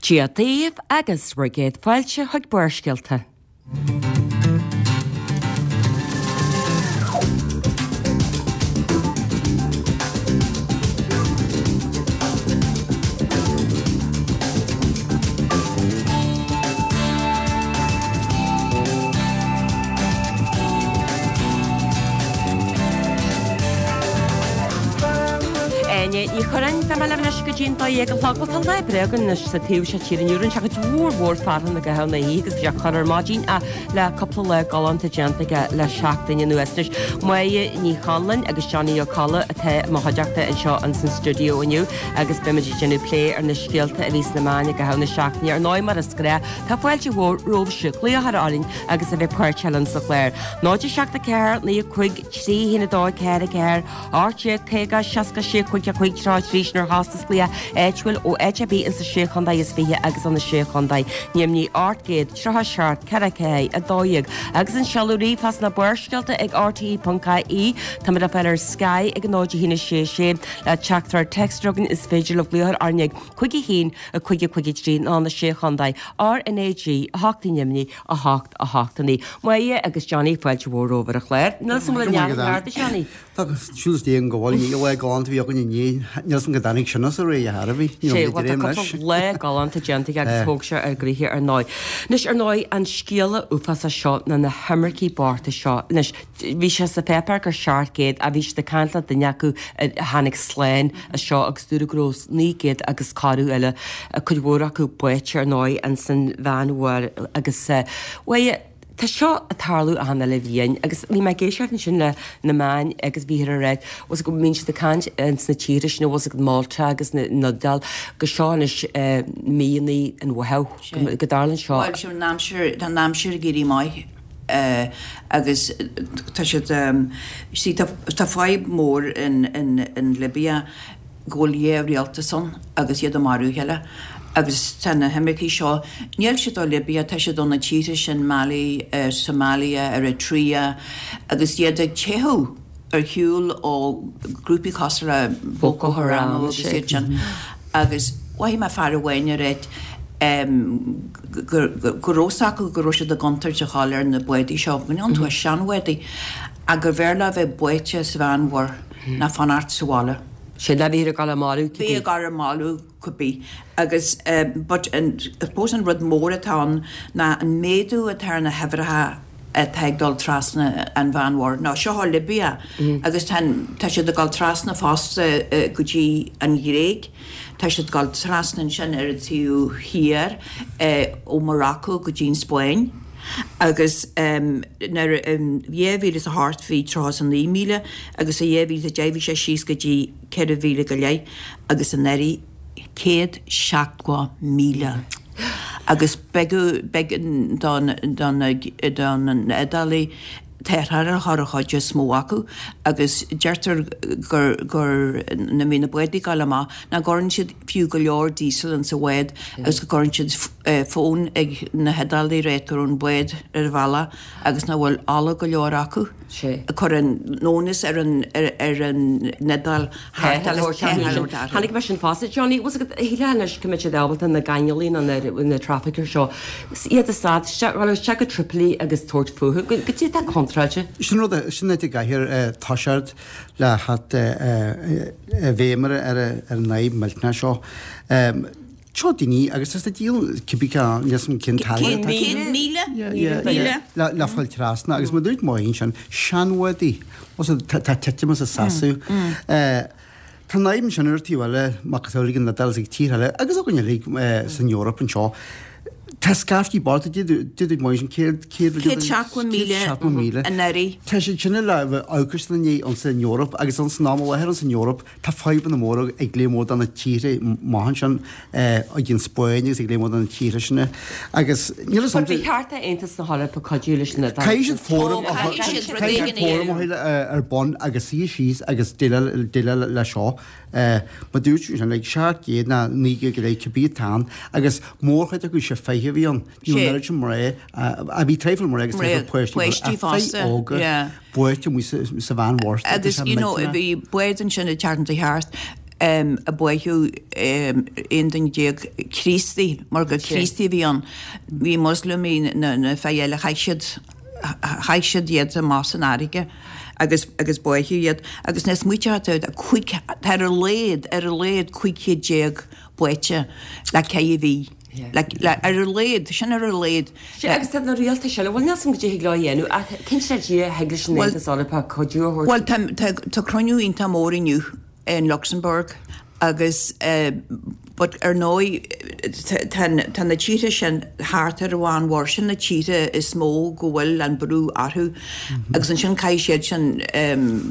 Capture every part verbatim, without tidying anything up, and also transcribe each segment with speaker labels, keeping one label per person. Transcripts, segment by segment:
Speaker 1: Dia daoibh agus bhur gcéad fáilte chuig Barrscéalta. Áine Ní Churráin, Beidh mé libh anois go dtí an dó dhéag a chlog. Bhuel, tá lá breá againn anois sa taobh seo tíre inniu. Rinne sé cuid mhór mhór fearthainn i gcaitheamh na hoíche agus bhí sé corr ar maidin ach le cúpla lá galánta déanta aige le seachtain anuas. Anois, Máire Ní Chonluain agus Johnny Ó Colla atá i mo chuideachta anseo ins an stiúideo inniu agus beimid ag déanamh plé ar na scéalta a bhí sna meáin i gcaitheamh na seachtaine. Ar ndóigh, mar is gnách, tá fáilte mhór romhaibhse glaoch a chur orainn agus a bheith páirteach linn sa chlár. Náid a seacht a ceathair, naoi a cúig, trí a haon a dó, ceathair a ceathair, ocht déag caoga, seasca sé, cúig a cúig, tríocha a trí, sin ar chostas glaoch áitiúil ó áit ar bith insa sé chontae is fiche agus ó na sé chontae Ainmnigh ocht gcéad tríocha seacht ceithre ceathair a dó dhéag agus an seoladh ríomhphost ná Barrscéalta ag RTE ponc IE. Táimid le fáil ar Sky ag a náid a haon a sé sé le teachtaireacht téacs againn is féidir libh glaoch orainn ag cúig a haon a cúig a cúig a trí ná na sé chontae RnaG a hocht i nDoimní a hocht a hocht a naoi. Máire agus Johnny fáilte mhór romhaibh ar an chlár. Níl 's agam an bhfuil neart ceart Johnny.
Speaker 2: Tá siúl déan go bhfuil ní le galánta bhí againn inné níl 's agam go dtáinig sin as a réidh a thairbhí.
Speaker 1: Sé bhuel tá cúpla lá galánta déanta aige agus thóg sé ar gcroíthe ar ndóigh. Anois ar ndóigh an scéala uafásach seo ná na himircigh bochta seo. Anois bhí sé sa pháipéar gur seacht gcéad a bhí siad ag caint le duine acu a tháinig slán as seo agus dúradh go raibh naoi gcéad agus corradh eile cuid mhór acu báite ar ndóigh ins an Mheánmhuir agus bhuel tá seo ag tarlú achan uile bhliain agus bhí mé ag éisteacht ansin le na meáin agus bhíothar ag rá bhfuil go mbíonn siad ag caint ins na tíortha sin bhfuil ag Malta agus na Iodáil go seo anois míonna an Mheithimh go dtarlaíonn seo.
Speaker 3: Bhuel sin an aimsir tá an aimsir ag éirí maith agus tá siad see tá tá fadhb mór in in in Libya go bhfuil dhá rialtas ann agus iad ag marú a chéile agus tá na himircigh seo níl siad ó Libya tá siad ó na tíortha sin Mali Somalia Eritrea agus iad ag teitheadh ar shiúl ó grúpaí cosúil le Boko Haram agus iad sin agus mhothaigh mé fear amháin ag ráit go go raibh 's acu go raibh siad i gcontúirt a dhul ar na bádaí seo go iontu a seanbhádaí ach gurbh fhearr leo bheith báite sa Mheánmhuir ná fanacht sa bhaile.
Speaker 1: Sin a bhí ag dul a marú
Speaker 3: Bhí ag dul a marú cibé agus but I suppose an rud mór atá ann ná an méadú atá ar na huimhreacha atá ag dul trasna an Mheánmhuir. Nó seo ó Libya agus tá tá siad ag dul trasna fosta go dtí an Ghréig, tá siad ag dul trasna ansin ar an taobh thiar ó Morocco go dtí an Spáinn. Agus nuair dhá mhíle is a hocht bhí tríocha is a naoi míle agus i dhá mhíle is a deich bhí sé síos go dtí ceithre mhíle go leith agus anuraidh céad seachtó míle. Agus b'éigean don don don Iodálaigh tarrtháil a chur ar chuid is mó acu agus deirtear gur gur nuair a bhí na bádaí ag dul amach nach gcuireann siad fiú go leor diesel insa bhád agus go gcuireann siad fón ag na hIodálaigh ag ráit go raibh an bád ar a bhealach agus nach bhfuil ola go leor acu. Cuireann onus ar an ar an Iodáil
Speaker 1: Tháinig mé sin fosta. Johnny, bhfuil agat shílfeá anois go mbeadh siad ábalta na gainealaí nó na traffickers seo iad a stad isteach go Tripoli agus tabhairt fúthu. Go dtí atá contráilte.
Speaker 2: Sin rud sin é i gcathair toiseacht le hat bhéim ar ar an fhadhb millteanach seo. Seo daoine agus is díol cibé níos cinn
Speaker 3: Céad míle? Míle?
Speaker 2: Le fáil trasna agus mar dúirt Máire sin seanbhádaí tá titim as a seasamh. Tá an fhadhb sin ar taobh eile macasamhail ag an Iodáil agus ag tíortha eile agus againn uilig san Eoraip anseo. Tá scaifte bocht dúirt Máire sin céad
Speaker 3: céad Céad seachtó míle
Speaker 2: seachtó míle.
Speaker 3: anuraidh.
Speaker 2: Tá siad sin le bheith amhcas na ndiaidh ansan Eoraip agus ansan am i láthair ansan Eoraip tá fadhbanna móra ag léim mór do na tíortha maith ansin ag an Spáinn agus ag léim mór do na tíortha sin agus níl
Speaker 1: a fhios Ba cheart Aontas na hEorpa cuidiú leis na
Speaker 2: Caithfidh siad fóram
Speaker 3: Ó, caithfidh siad rud éigin a
Speaker 2: fóram a dhéanamh ar bun agus suí síos agus déileáil le seo. Mar dúirt sí sin, like seacht gcéad ná naoi gcéad go leith cibé atá ann agus mórchuid acu sé fiche a bhí ann. Ní raibh an oiread sin mná, a bhí traidhfil mná agus traidhfil páistí,
Speaker 3: páistí fosta,
Speaker 2: óga
Speaker 3: yeah.
Speaker 2: báite amuigh sa Mheánmhuir.
Speaker 3: Agus you know bhí bád ansin ag teacht thart a báitheadh aon duine déag Críostaí, mar gur Críostaí a bhí ann. Bhí Moslamaigh na na fir eile, chaith siad chaith siad iad amach san fharraige agus agus báitheadh iad. Agus nuair a smaoiteofá tú, tá cúig, tá ar a laghad, ar a laghad cúig chéad déag báite le ceithre mhí. Le, le, ar a laghad, sin ar a laghad.
Speaker 1: Sea, agus tá na rialtais eile, bhuel níl 's agam goidé thig leo a dhéanamh ach cinnte le Dia thig leis an Aontas Eorpach cuidiú a thabhairt.
Speaker 3: Bhuel, tá, tá, tá cruinniú iontach mór inniu in Luxembourg agus but ar ndóigh tá, tá na tíortha sin thart ar an Mheánmhuir, sin na tíortha is mó go bhfuil an brú orthu agus ansin caithfidh siad sin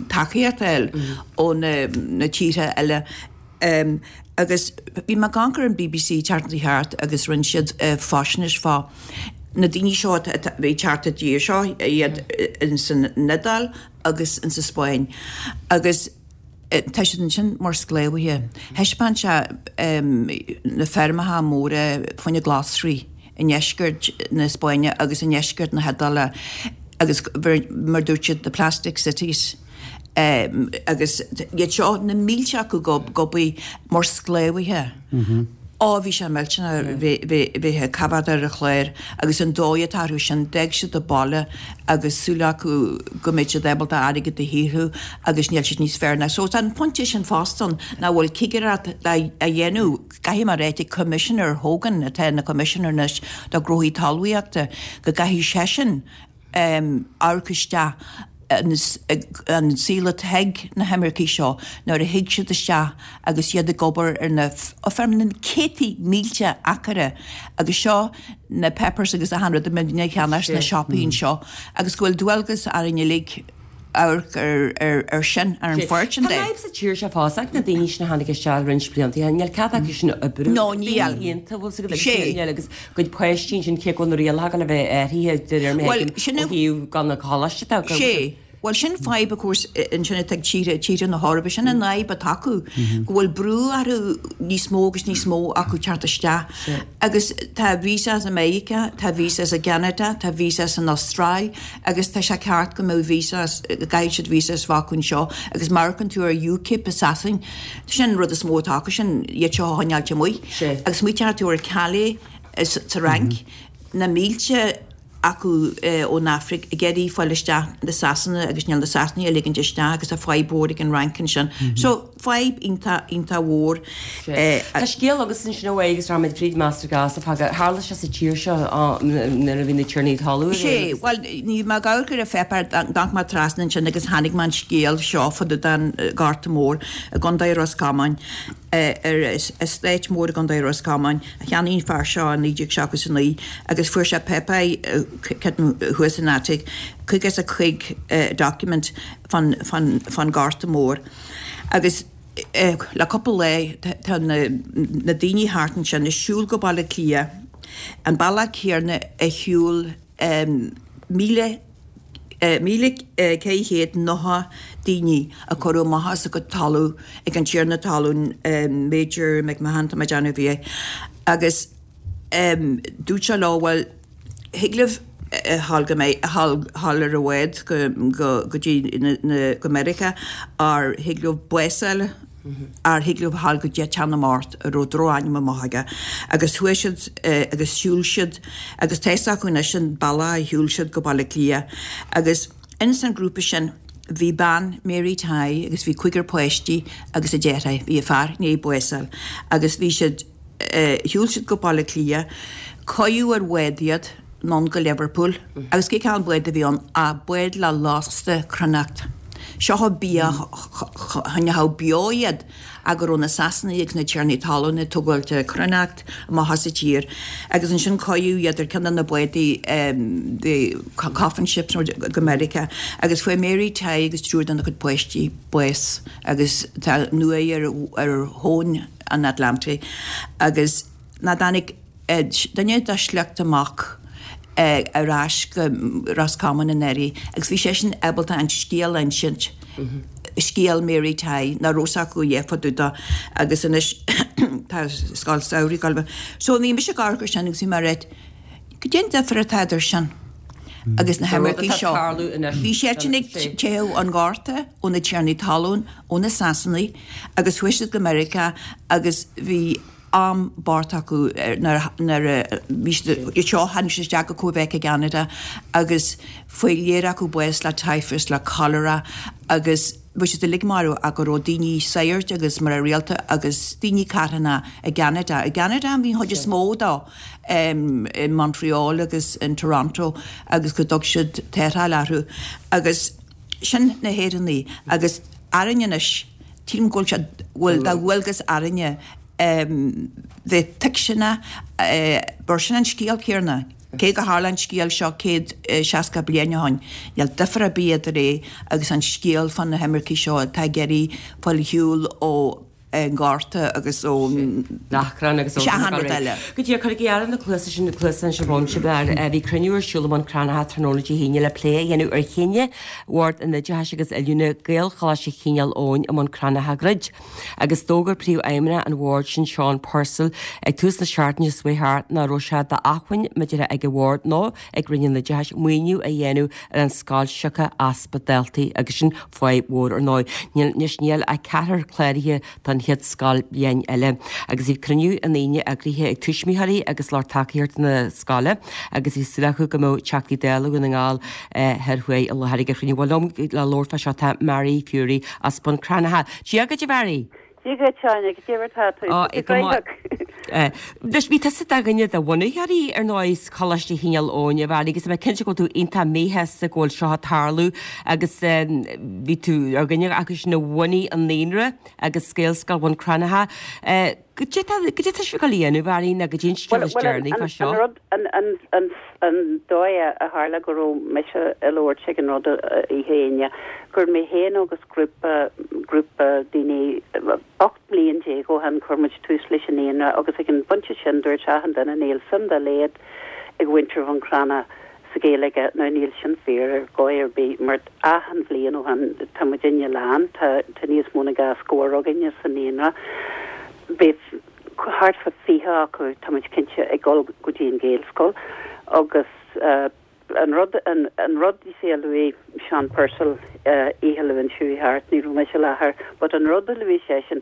Speaker 3: tacaíocht a fháil ó na, na tíortha eile. Agus bhí mé ag amharc ar an B B C tseachtain seo thart agus rinne siad faisnéis fá na daoine seo a bhí ag teacht i dtír seo, iad ins an Iodáil agus ins an Spáinn. Agus tá siad ansin mar sclábhaithe. Thaispeáin sé na feirmeacha móra fá choinne glasraí i ndeisceart na Spáinne agus i ndeisceart na hIodáile agus mar dúirt siad the plastic cities. Agus iad seo, na mílte acu ag obair mar sclábhaithe. Á, bhí sé millteanach bheith ag coimhéad ar an chlár agus an dóigh atá orthu sin, d'fhág siad an baile agus súil acu go mbeidh siad ábalta airgead a shaothrú agus níl siad níos fearr ná. So tá an pointe sin fosta ann nach bhfuil cigireacht a dhéanamh, caithfidh mé a ráit ag Commissioner Hogan atá ina Commissioner anois do ghnóthaí talmhaíochta, go gcaithfidh seisean amharc isteach an saol atá ag na himircigh seo nuair a thig siad isteach agus iad ag obair ar na feirmeanna, na céadtaí mílte acra agus seo na peppers agus achan rud a mbíonn ag ceannach sna siopaí anseo agus go bhfuil dualgas orainn uilig amharc ar sin, ar an pháirt sin
Speaker 1: de. Tá fadhb sa tír seo fosta ag na daoine sin a tháinig isteach roinnt blianta, níl cead acu sin oibriú.
Speaker 3: No, níl.
Speaker 1: Daoine ionta, bhfuil 's agat, agus níl agus gcuid páistí ansin cé go bhfuil na rialacha le bheith athraithe de réir mar a thuigim ó thaobh gan na coláiste atá acu.
Speaker 3: Sé. Bhuel, sin fadhb, of course, ansin atá ag tíortha, tíortha na hEorpa, sin an fhadhb atá acu, go bhfuil brú orthu níos mó agus níos mó acu teacht isteach. Agus tá visa as Meiriceá, tá visa as i gCeanada, tá visa as an Astráil agus tá sé ceart go mbeadh visa, go gcaithfidh siad visa a bheith acu anseo agus má amharcann tú ar UKIP i Sasain, sin an rud is mó atá acu, sin iad seo a choinneáilt amuigh. Agus smaoiteoidh tú ar Calais sa Fhrainc, na mílte acu ón Afraic ag iarraidh fáil isteach na Sasana agus níl na Sasanaigh ag ligint isteach agus tá fadhb mhór ag an Fhrainc ansin. So fadhb iontach iontach mhór.
Speaker 1: Tá scéal agus ansin ó agus raimid fríd Master Gas a fága tharla sé sa tír seo nuair a bhí na tiarnaí talún.
Speaker 3: Sé, bhuel ní mé ag amharc ar an pháipéar d'amharc mé trasna ansin agus tháinig mé an scéal seo fá dtaobh den Ghorta Mór i gContae Ros Comáin ar estate mór i gContae Ros Comáin a cheannaigh an fear seo i naoi déag seachtó a naoi agus fuair sé páipéir thuas in attic caoga is a cúig document fán fán fán Ghorta Mór agus le cúpla lá tá na na daoine thart ansin ag siúl go Baile Átha Cliath an bealach céanna a shiúil míle míle ceithre chéad nócha daoine a cuireadh amach as a gcuid talamh ag an tiarna talún Major McMahon tá mé ag déanamh a bhí é agus dúirt sé leo bhuel thig libh dhul go dhul ar an bhád go go go dtí go Meiriceá or thig libh bás a fháil or thig libh dhul go dtí teach na mbocht a raibh drochainm amach aige agus chuaigh siad agus shiúil siad agus tá fhios acu anois an bealach a shiúil siad go Baile Átha Cliath agus ins an grúpa sin bhí bean Mary Tighe agus bhí cúigear páistí agus a deartháir, bhí a fear i ndiaidh bás a fháil agus bhí siad shiúil siad go Baile Átha Cliath, cuireadh ar bhád iad anonn go Liverpool agus cé cén bád a bhí ann ach bád le lasta cruithneacht. Seo bia choinneodh beo iad ach go raibh na Sasanaigh agus na tiarnaí talún ag tógáilt cruithneacht amach as an tír agus ansin cuireadh iad ar ceann de na bádaí the coffin ships go Meiriceá agus fuair Mary Tighe agus triúr dena cuid páistí bás agus tá an uaigh ar ar thóin an Atlantaigh agus ná tháinig duine dá sliocht amach ar ais go Ros Comáin anuraidh agus bhí seisean ábalta an scéal a insint, scéal Mary Tighe, nach raibh fhios acu a dhath fá dtaobh de agus anois tá scoil samhraidh ag dul. So bhí mise ag amharc air sin agus bhí mé ag rá, goidé an difear atá idir sin agus na himircigh seo. Bhí siad ag teitheadh ón ghorta, ó na tiarnaí talún, ó na Sasanaigh agus chuaigh siad go Meiriceá agus bhí am bocht acu nuair a bhí siad seo tháinig siad isteach go Quebec i gCeanada agus fuair lear acu bás le typhus, le cholera agus bhí siad uilig marbh ach go raibh daoine sagairt agus mná rialta agus daoine carthana i gCeanada. I gCeanada an bhí an chuid is mó dó in Montreal agus in Toronto agus go dtug siad tarrtháil orthu agus sin na hÉireannaigh agus orainn anois tchím go bhfuil siad bhfuil de dhualgas orainne bheith tuisceanach mar sin an scéal céanna. Cé go tharla an scéal seo céad seasca bliain ó shin, níl difear ar bith idir é agus an scéal fá na himircigh seo atá ag iarraidh fáil ar shiúl ó an Ghorta agus ón
Speaker 1: achrann agus
Speaker 3: achan rud eile.
Speaker 1: Go díreach, cuirigí aire na cluasa sin, na cluasa anseo romhaibh, bhí cruinniú ar siúl i mBun Cranncha tráthnóna Dé hAoine le plé a dhéanamh ar chinneadh Bhord an Oideachais agus Oiliúna Gaelcholáiste Chineál Eoghain i mBun Cranncha a dhruid. Agus d'fhógair Príomhfheidhmeannach an Bhoird sin, Seán Purcell, ag tús na seachtaine seo chuaigh thart nach raibh sé d'acmhainn maidir ag an Bhord nó ag Roinn an Oideachais maoiniú a dhéanamh ar an scoil siocair easpa daltaí agus sin fadhb mhór ar ndóigh. Anois níl ach ceathrar cláraithe don chéad scoilbhliain eile. Agus bhí cruinniú an Aoine eagraithe ag tuismitheoirí agus lucht tacaíochta na scoile agus bhí súil acu go mbeadh Teachtaí Dála Dhún na nGall Thoir Thuaidh i láthair ag an chruinniú. Bhuel liom le labhairt fá seo tá Mary Furey as Bun Cranncha. Dia dhuit a Mhary!
Speaker 4: Dia dhuit Áine, goidé mar tá tú?
Speaker 1: Ó, go maith. Anois bhí tusa i do dhuine de bhunaitheoirí ar ndóigh Choláiste Chineál Eoghain a Mhary agus tá mé cinnte go bhfuil tú iontach míshásta go bhfuil seo ag tarlú agus bhí tú ar dhuine acu sin a bhunaigh an naíonra agus Gaelscoil Bhun Cranncha. Goidé tá goidé tá sibh ag dul a dhéanamh a Mhary nó goidé an scéal is deireanaí fá seo?
Speaker 4: An rud an an an an dóigh a tharla go raibh mise ag labhairt ag an rud oíche Aoine gur mé féin agus grúpa grúpa daoine ocht mbliain déag ó shin chuir muid tús leis an naíonra agus ag an bpointe sin dúirt achan duine níl suim dá laghad ag mhuintir Bhun Cranncha sa Ghaeilge now níl sin fíor ar dhóigh ar bith mar achan bhliain ó shin tá muidinne lán tá tá níos mó ná dhá scór againne sa naíonra. Beidh thart fá fiche acu tá muid cinnte ag dul go dtí an Ghaelscoil agus an rud an an rud you see a luaigh Seán Purcell oíche Luain seo chuaigh thart ní raibh mise i láthair but an rud a luaigh seisean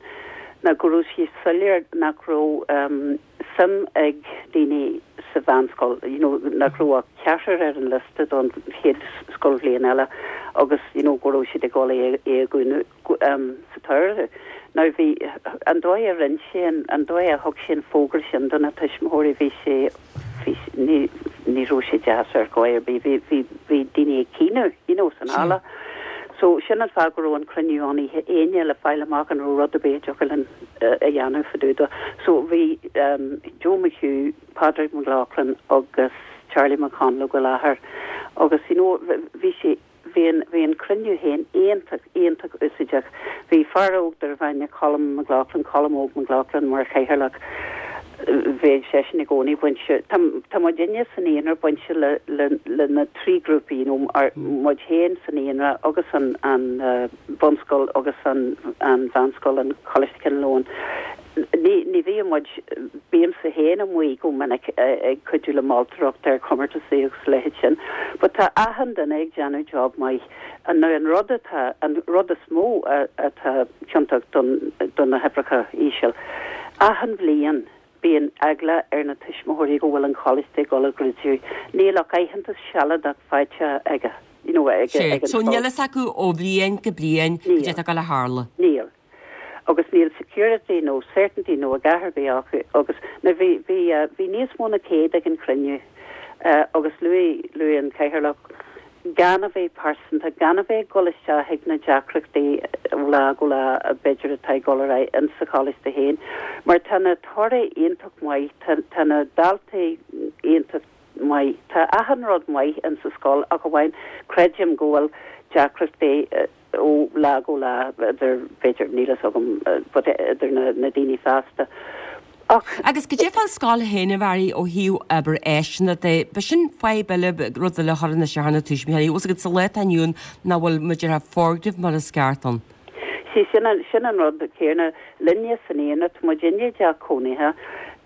Speaker 4: ná go raibh sé soiléir nach raibh suim ag daoine sa mheánscoil you know nach raibh ach ceathrar ar an liosta don chéad scoilbhliain eile agus you know go raibh siad ag dul é a dhúnadh sa tsamhradh. Now bhí, an dóigh a rinne sé an, an dóigh a thug sé an fógra sin do na tuismitheoirí, bhí sé, bhí, ní, ní raibh sé deas ar dhóigh ar bith, bhí, bhí, bhí daoine ag caoineadh, you know, san halla. So sin an fáth go raibh an cruinniú ann oíche Aoine le fáil amach an raibh rud ar bith a dtiocfadh linn a dhéanamh fá dtaobh dó. So bhí Joe McHugh, Pádraig McLaughlin agus Charlie McConalogue i láthair agus you know bhí sé, Bhí an, bhí an cruinniú féin iontach, iontach úsáideach. Bhí fear óg darbh ainm Colm McLaughlin, Colm Óg McLaughlin mar chathaoirleach. Bheadh seisean i gcónaí bainte, tá, tá muidinne sa naíonra bainte le, le, le na trí grúpaí, you know, ar, muid féin sa naíonra agus an, an bunscoil agus an, an mheánscoil, an Coláiste Chineál Eoghain. Ní, ní bhíonn muid, bímse féin amuigh go minic ag cuidiú le moltóireacht ar chomórtasaí agus a leithéid sin. But tá achan duine ag déanamh job maith. Now an rud atá, an rud is mó atá ciontach don, do na huimhreacha íseal, achan bhliain bíonn eagla ar na tuismitheoirí go bhfuil an choláiste ag dul a dhruideadh. Níl ach aitheantas sealadach faighte aige, you know, ag, ag an
Speaker 1: So
Speaker 4: scoil.
Speaker 1: níl fhios acu ó bhliain go bliain
Speaker 4: Níl.
Speaker 1: cad é atá ag dul a tharlú.
Speaker 4: Níl. Agus níl security nó certainty nó a dhath ar bith acu agus now bhí bhí bhí níos mó na céad ag an chruinniú agus luaigh luaigh an cathaoirleach gan a bheith pearsanta, gan a bheith ag dul isteach ag na deacrachtaí ó lá go lá b'fhéidir atá ag dul ar aghaidh in sa choláiste féin mar tá na torthaí iontach maith, tá tá na daltaí iontach maith, tá achan rud maith in sa scoil ach amháin creidim go bhfuil deacrachtaí ó lá go lá idir, b'fhéidir, níl fhios agam, but idir na na daoine fásta. Ach.
Speaker 1: Agus goidé fán scoil féin a Mhary ó thaobh obair áiseanna de, b'shin fadhb eile, rud eile a chuireann isteach ar na tuismitheoirí, bhfuil 's agat sa lá atá inniu ann nach bhfuil muid ar foirgnimh mar is ceart ann.
Speaker 4: See, sin an, sin an rud céanna linne san naíonra, tá muidinne i dteach cónaithe,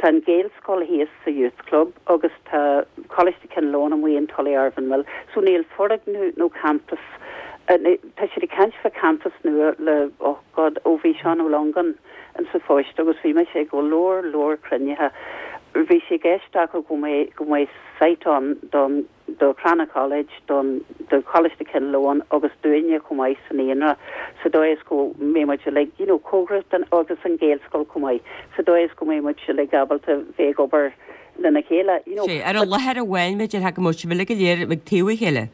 Speaker 4: tá an Gaelscoil thíos sa Youth Club agus tá Coláiste Chinn Lóin amuigh in Tullyarvan Mill, so níl foirgneamh nó campus, tá siad ag caint fá campus nua le, oh God, ó bhí Seán Ó Longáin in sa phost agus bhí mise ag go leor leor cruinnithe. Bhí sé i gceist acu go mbeidh go mbeidh site ann don do Cranagh College, don do Choláiste Chinn Lóin agus dúinne chomh maith sa naíonra sa dóigh is go mbeidh muid uilig, you know, cóngarach don agus an Ghaelscoil chomh maith, sa dóigh is go mbeidh muid uilig ábalta bheith ag obair lena chéile, you know.
Speaker 1: Sé, ar an láthair amháin, b'fhéidir, go mbeadh sibh uilig go léir ag taobh a chéile.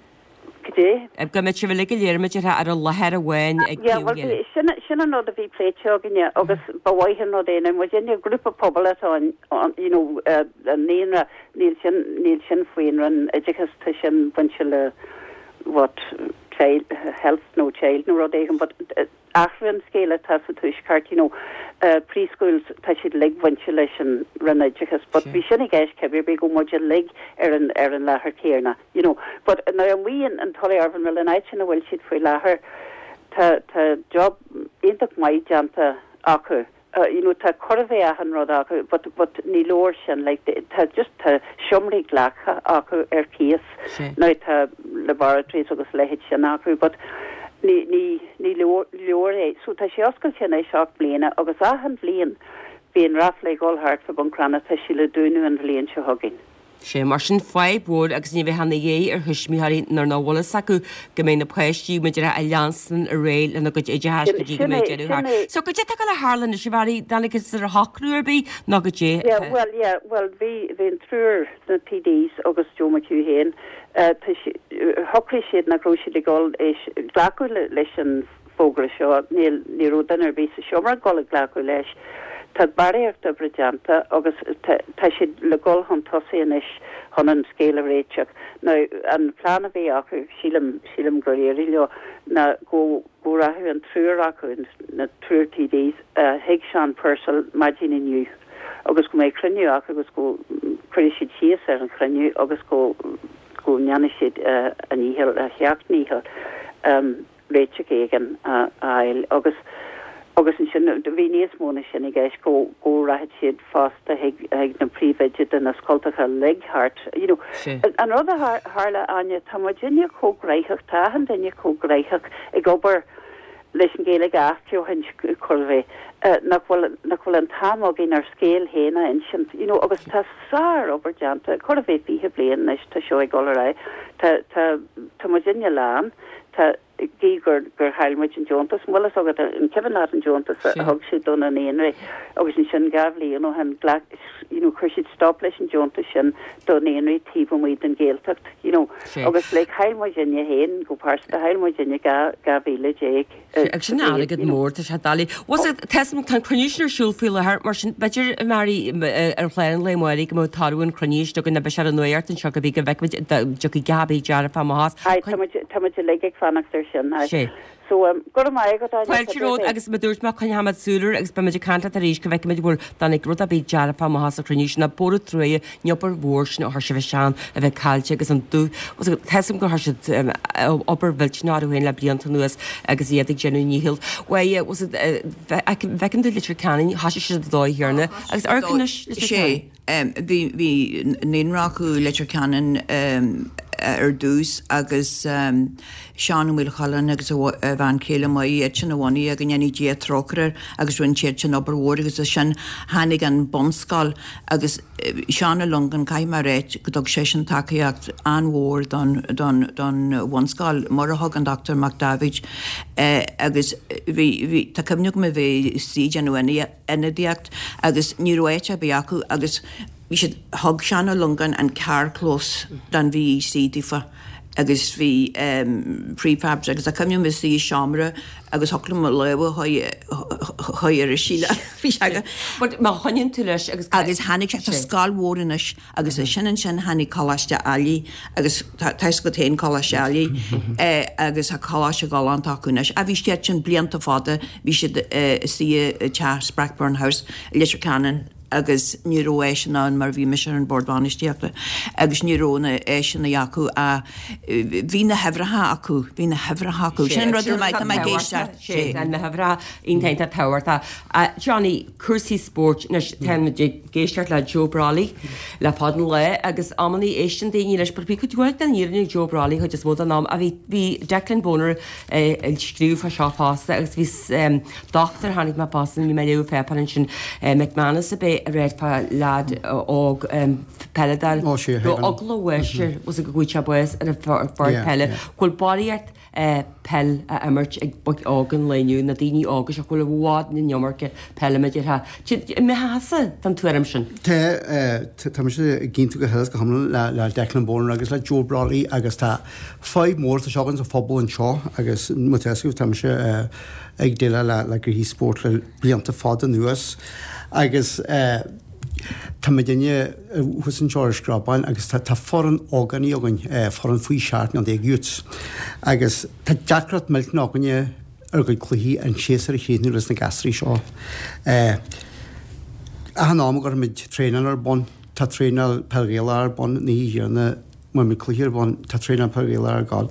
Speaker 4: Cad é?
Speaker 1: Go mbeadh sibh uilig go léir, b'fhéidir, ar an láthair amháin ag
Speaker 4: Yeah,
Speaker 1: taobh a
Speaker 4: well,
Speaker 1: chéile.
Speaker 4: sin, sin an rud a bhí pléite againne agus ba mhaith an rud é na muidinne grúpa pobail atá an, an, you know, uh, an naíonra, níl sin, níl sin faoin Roinn Oideachais, tá sin bainte le what, child, health nó child nó rud éigin, but uh, athrú an scéal atá sa tuaisceart, you know, uh, preschools tá siad uilig bainte leis an Roinn Oideachais, but
Speaker 1: Sure.
Speaker 4: bhí sin i gceist cibé ar bith go muid uilig ar an ar an láthair céanna, you know. But now amuigh in, in Tullyarvan Mill an áit ina bhfuil siad faoi láthair, tá tá job iontach maith déanta acu. Uh, you know, tá chóir a bheith achan rud acu, but, but ní leor sin, like, tá just tá seomraí glactha acu ar cíos.
Speaker 1: Sé.
Speaker 4: Now tá laboratories agus leithéid sin acu, but ní ní ní leor leor é. So tá sé oscailte anois seacht bliana agus achan bhliain bíonn raffle ag dul thart fá Bhun Cranncha tá sí le dúnadh an bhliain seo chugainn.
Speaker 1: Sé mar sin fadhb mhór agus ní bheith ina dhiaidh ar thuismitheoirí nuair nach bhfuil fhios acu go mbeidh na páistí b'fhéidir a leanstan ar aghaidh lena gcuid oideachais
Speaker 4: Sin-
Speaker 1: go dtí go
Speaker 4: sin
Speaker 1: mbeidh
Speaker 4: é-
Speaker 1: deireadh
Speaker 4: sin
Speaker 1: thart.
Speaker 4: é-
Speaker 1: So goidé atá le tarlú anois a Mhary tháinig ar shocrú ar bith nó goidé.
Speaker 4: Yeah, well, yeah, well, bhí bhí an triúr na TDs agus Joe McHugh féin, uh, tá si- uh, shocraigh siad nach raibh siad ag dul éis glacadh le, leis an fógra seo, níl ní raibh duine ar bith sa seomra ag dul ag glacadh leis. Tá barraíocht oibre déanta agus tá tá siad le dul chun tosaigh anois chun an scéal a réiteach. Now, an plean a bhí acu sílim sílim gur éirigh leo ná go go rachadh an triúr acu na triúr TDs uh, chuig Sean Purcell maidin inniu. agus go mbeidh cruinniú acu agus go cuirfidh siad síos ar an chruinniú agus go go ndéanfaidh siad uh, a ndícheall a sheacht ndícheall um, réiteach éigin a fháil agus agus ansin bhí níos mó ná sin i gceist go go rachadh siad fosta chuig chuig na príomhoidí de na scoltacha uilig thart you know
Speaker 1: Sé.
Speaker 4: an rud a thar- tharla Áine tá muidinne chomh gnóthach tá an duine chomh gnóthach ag obair leis an Ghaeilge athbheochan chorvé nach bhfuil nach bhfuil an t-am againn ar scéal féin a insint you know agus tá sár obair déanta chóir a bheith fiche bliain anois tá seo ag dul ar aghaidh tá tá tá muidinne lán tá gí gur gur chaill muid an deontas bhfuil fhios agat an cuimhin leat an deontas a
Speaker 1: Sí.
Speaker 4: thug siad do na naíonraí agus ansin dhá bhliain ó shin ghlac you know chuir siad stop leis an deontas sin do naíonraí taobh amuigh den Ghaeltacht you know
Speaker 1: Sí.
Speaker 4: agus le chaill muidinne féin go pearsanta chaill muidinne dhá dhá mhíle déag
Speaker 1: Ag sin airgead mór tá sé doiligh. Was it tesam tá cruinniú ar siúl faoi láthair mar sin b'fhéidir Mary ar chlár an lae amárach go mbeidh toradh an chruinniú go na be an nuacht anseo go bí go bhfeicfimid dtiocfaidh Gabi dearfa amach.
Speaker 4: Ai tá tá muid uilig ag fanacht ar sin ai.
Speaker 1: Sé.
Speaker 4: So um, go raibh maith agat Áine,
Speaker 1: Fáilte romhat agus mar a dúirt mé coinneoimid súil air agus beimid ag caint leat arís go bhfeicfimid bhfuil tháinig rud ar bith dearfa amach as an chruinniú sin na bóra truaighe an obair mhór sin a chuir sibh isteach a bheith caillte agus an dú Tesam go chuir siad obair mhillteanach féin le blianta anuas agus iad ag déanamh a ndícheall. Was bhfeiceann tú Leitir Ceanainn thosaigh siad dóigh thiarna agus arcanis
Speaker 3: Sé bhí bhí naíonra acu Leitir Ceanainn ar dtús agus um, Seán Ó Maolchallann agus a bhean chéile mai iad sin a bhunaigh agus go ndéana Dia trócaire agus rinne siad sin obair mhór agus sin tháinig an bunscoil agus Seán Ó Longáin caithfidh mé a rá go dtug sé sin tacaíocht an-mhór don, don, don bhunscoil mar a thug an Dr. Mac David eh, agus bhí bhí tá cuimhne agam a bheith sí nó ionadaíocht agus ní raibh áit ar bith acu agus bhí siad thug Seán Ó Longáin an carrchlós don VEC daofa agus bhí um, prefabs agus a cuimhne mis í seomra agus thoclam lewe chuir a síle bhí sé
Speaker 1: But má choinníonn tú leis agus
Speaker 3: agus tháinig sé scoil mhór anois agus é sin ansin tháinig Coláiste Ailigh agus tá go tain Coláiste Ailigh agus a Coláiste galánta acu anois. A bhí siad sin blianta fada bhí siad sí te Sprackburn House Leitir Ceanainn agus ní raibh áiseanna ann mar bhí mise ar an bord bainistíochta agus ní raibh na áiseanna acu a bhí na huimhreacha acu bhí na huimhreacha acu sin rud a tá mé ag éisteacht
Speaker 1: sé na huimhreacha iontach tábhachtach. Johnny cúrsaí spóirt anois táimid ag éisteacht le Joe Brolly le fada an lá agus amannaí éisteann daoine leis but bhí cuid mhaith den fhírinne Joe Brolly chuid is mó den am a bhí bhí Declan Bonner ag scríobh fá seo fosta agus bhí dochtúir tháinig mé fosta bhí mé ag léamh pháipéar ansin McManus a b'é a raibh fá leaid óg peileadóir
Speaker 2: Ó, sé,
Speaker 1: go eagla uaisir was go bhfuil sé bás ar an pháirc peile go bhfuil barraíocht peil a imirt ag boic óg an lae inniu na daoine óga seo go bhfuil i bhfad na n-iomarca peile imeartha. Mé den tuairim sin.
Speaker 2: Tá tá mise ag aontú go huile is go hiomlán le le Declan Bonner agus le Joe Brolly agus tá fadhb mór tá seo againn sa phobal anseo agus má tá tá mise ag déileáil le le gnoithí spóirt le blianta fada anuas agus tá muidinne thuas anseo ar Screabán agus tá tá foireann ógánaigh againn foireann faoi seacht mbliana déag youths agus tá deacracht millteanach againne ar gcuid cluichí an séasúr a chríochnú leis na gasraí seo. Achan am a gcuirimid traenáil ar bun, tá traenáil peil Ghaelach ar bun, ní hé muid cluiche ar bun, tá traenáil peil Ghaelach ar gabháil.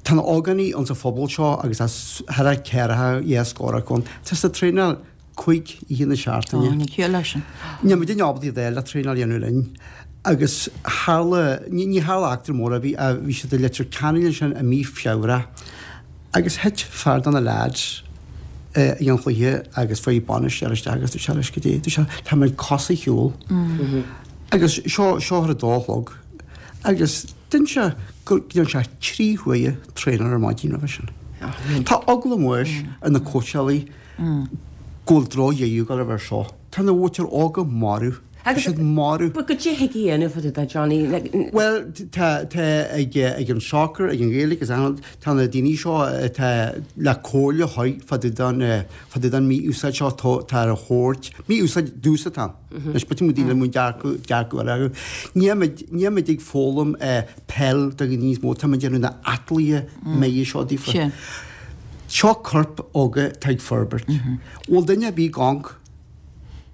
Speaker 2: Tá na ógánaigh ann sa phobal seo agus as thar ceathracha dhá scór acu ann. Tá siad ag traenáil cúig oíche na seachtaine.
Speaker 3: Ní ciall leis sin.
Speaker 2: Níl muid ábalta iad a fháil le traenáil a dhéanamh linn. Agus tharla, ní, ní tharla eachtra mór a bhí, a bhí siad i Leitir Ceanainn ansin i mí Feabhra agus thit fear de na lads ag an chluiche agus fuair bainisteoir isteach agus dúirt sé leis go dtí, dúirt sé, tá mé cosa ar shiúl. Agus seo, seo ar a dó a chlog. Agus d'inis sé go dtéann sé trí huaire traenáil ar maidin roimhe sin. Tá eagla mór ar na cóitseálaí go bhfuil drochdheireadh ag dul air seo. Tá na mhuintir óga marbh. Tá
Speaker 1: Agus
Speaker 2: siad marbh.
Speaker 1: But goidé thig a dhéanamh fá dtaobh de Johnny? Like,
Speaker 2: Well, tá tá ag ag an soccer, ag an Ghaeilge agus ann, tá na daoine seo atá le comhairle thabhairt fá dtaobh den fá dtaobh den mí-úsáid seo tá tá ar a thabhairt. Mí-úsáid dús atá ann. Anois b'fhéidir muid daoine muid dearcadh dearcadh eile acu. Níl muid níl muid ag foghlaim peil do dhaoine níos mó, tá muid ag déanamh na atlaithe méithe seo daofa.
Speaker 3: Sin.
Speaker 2: Seo corp óga atá ag forbairt. Bhfuil duine ar bith ag amharc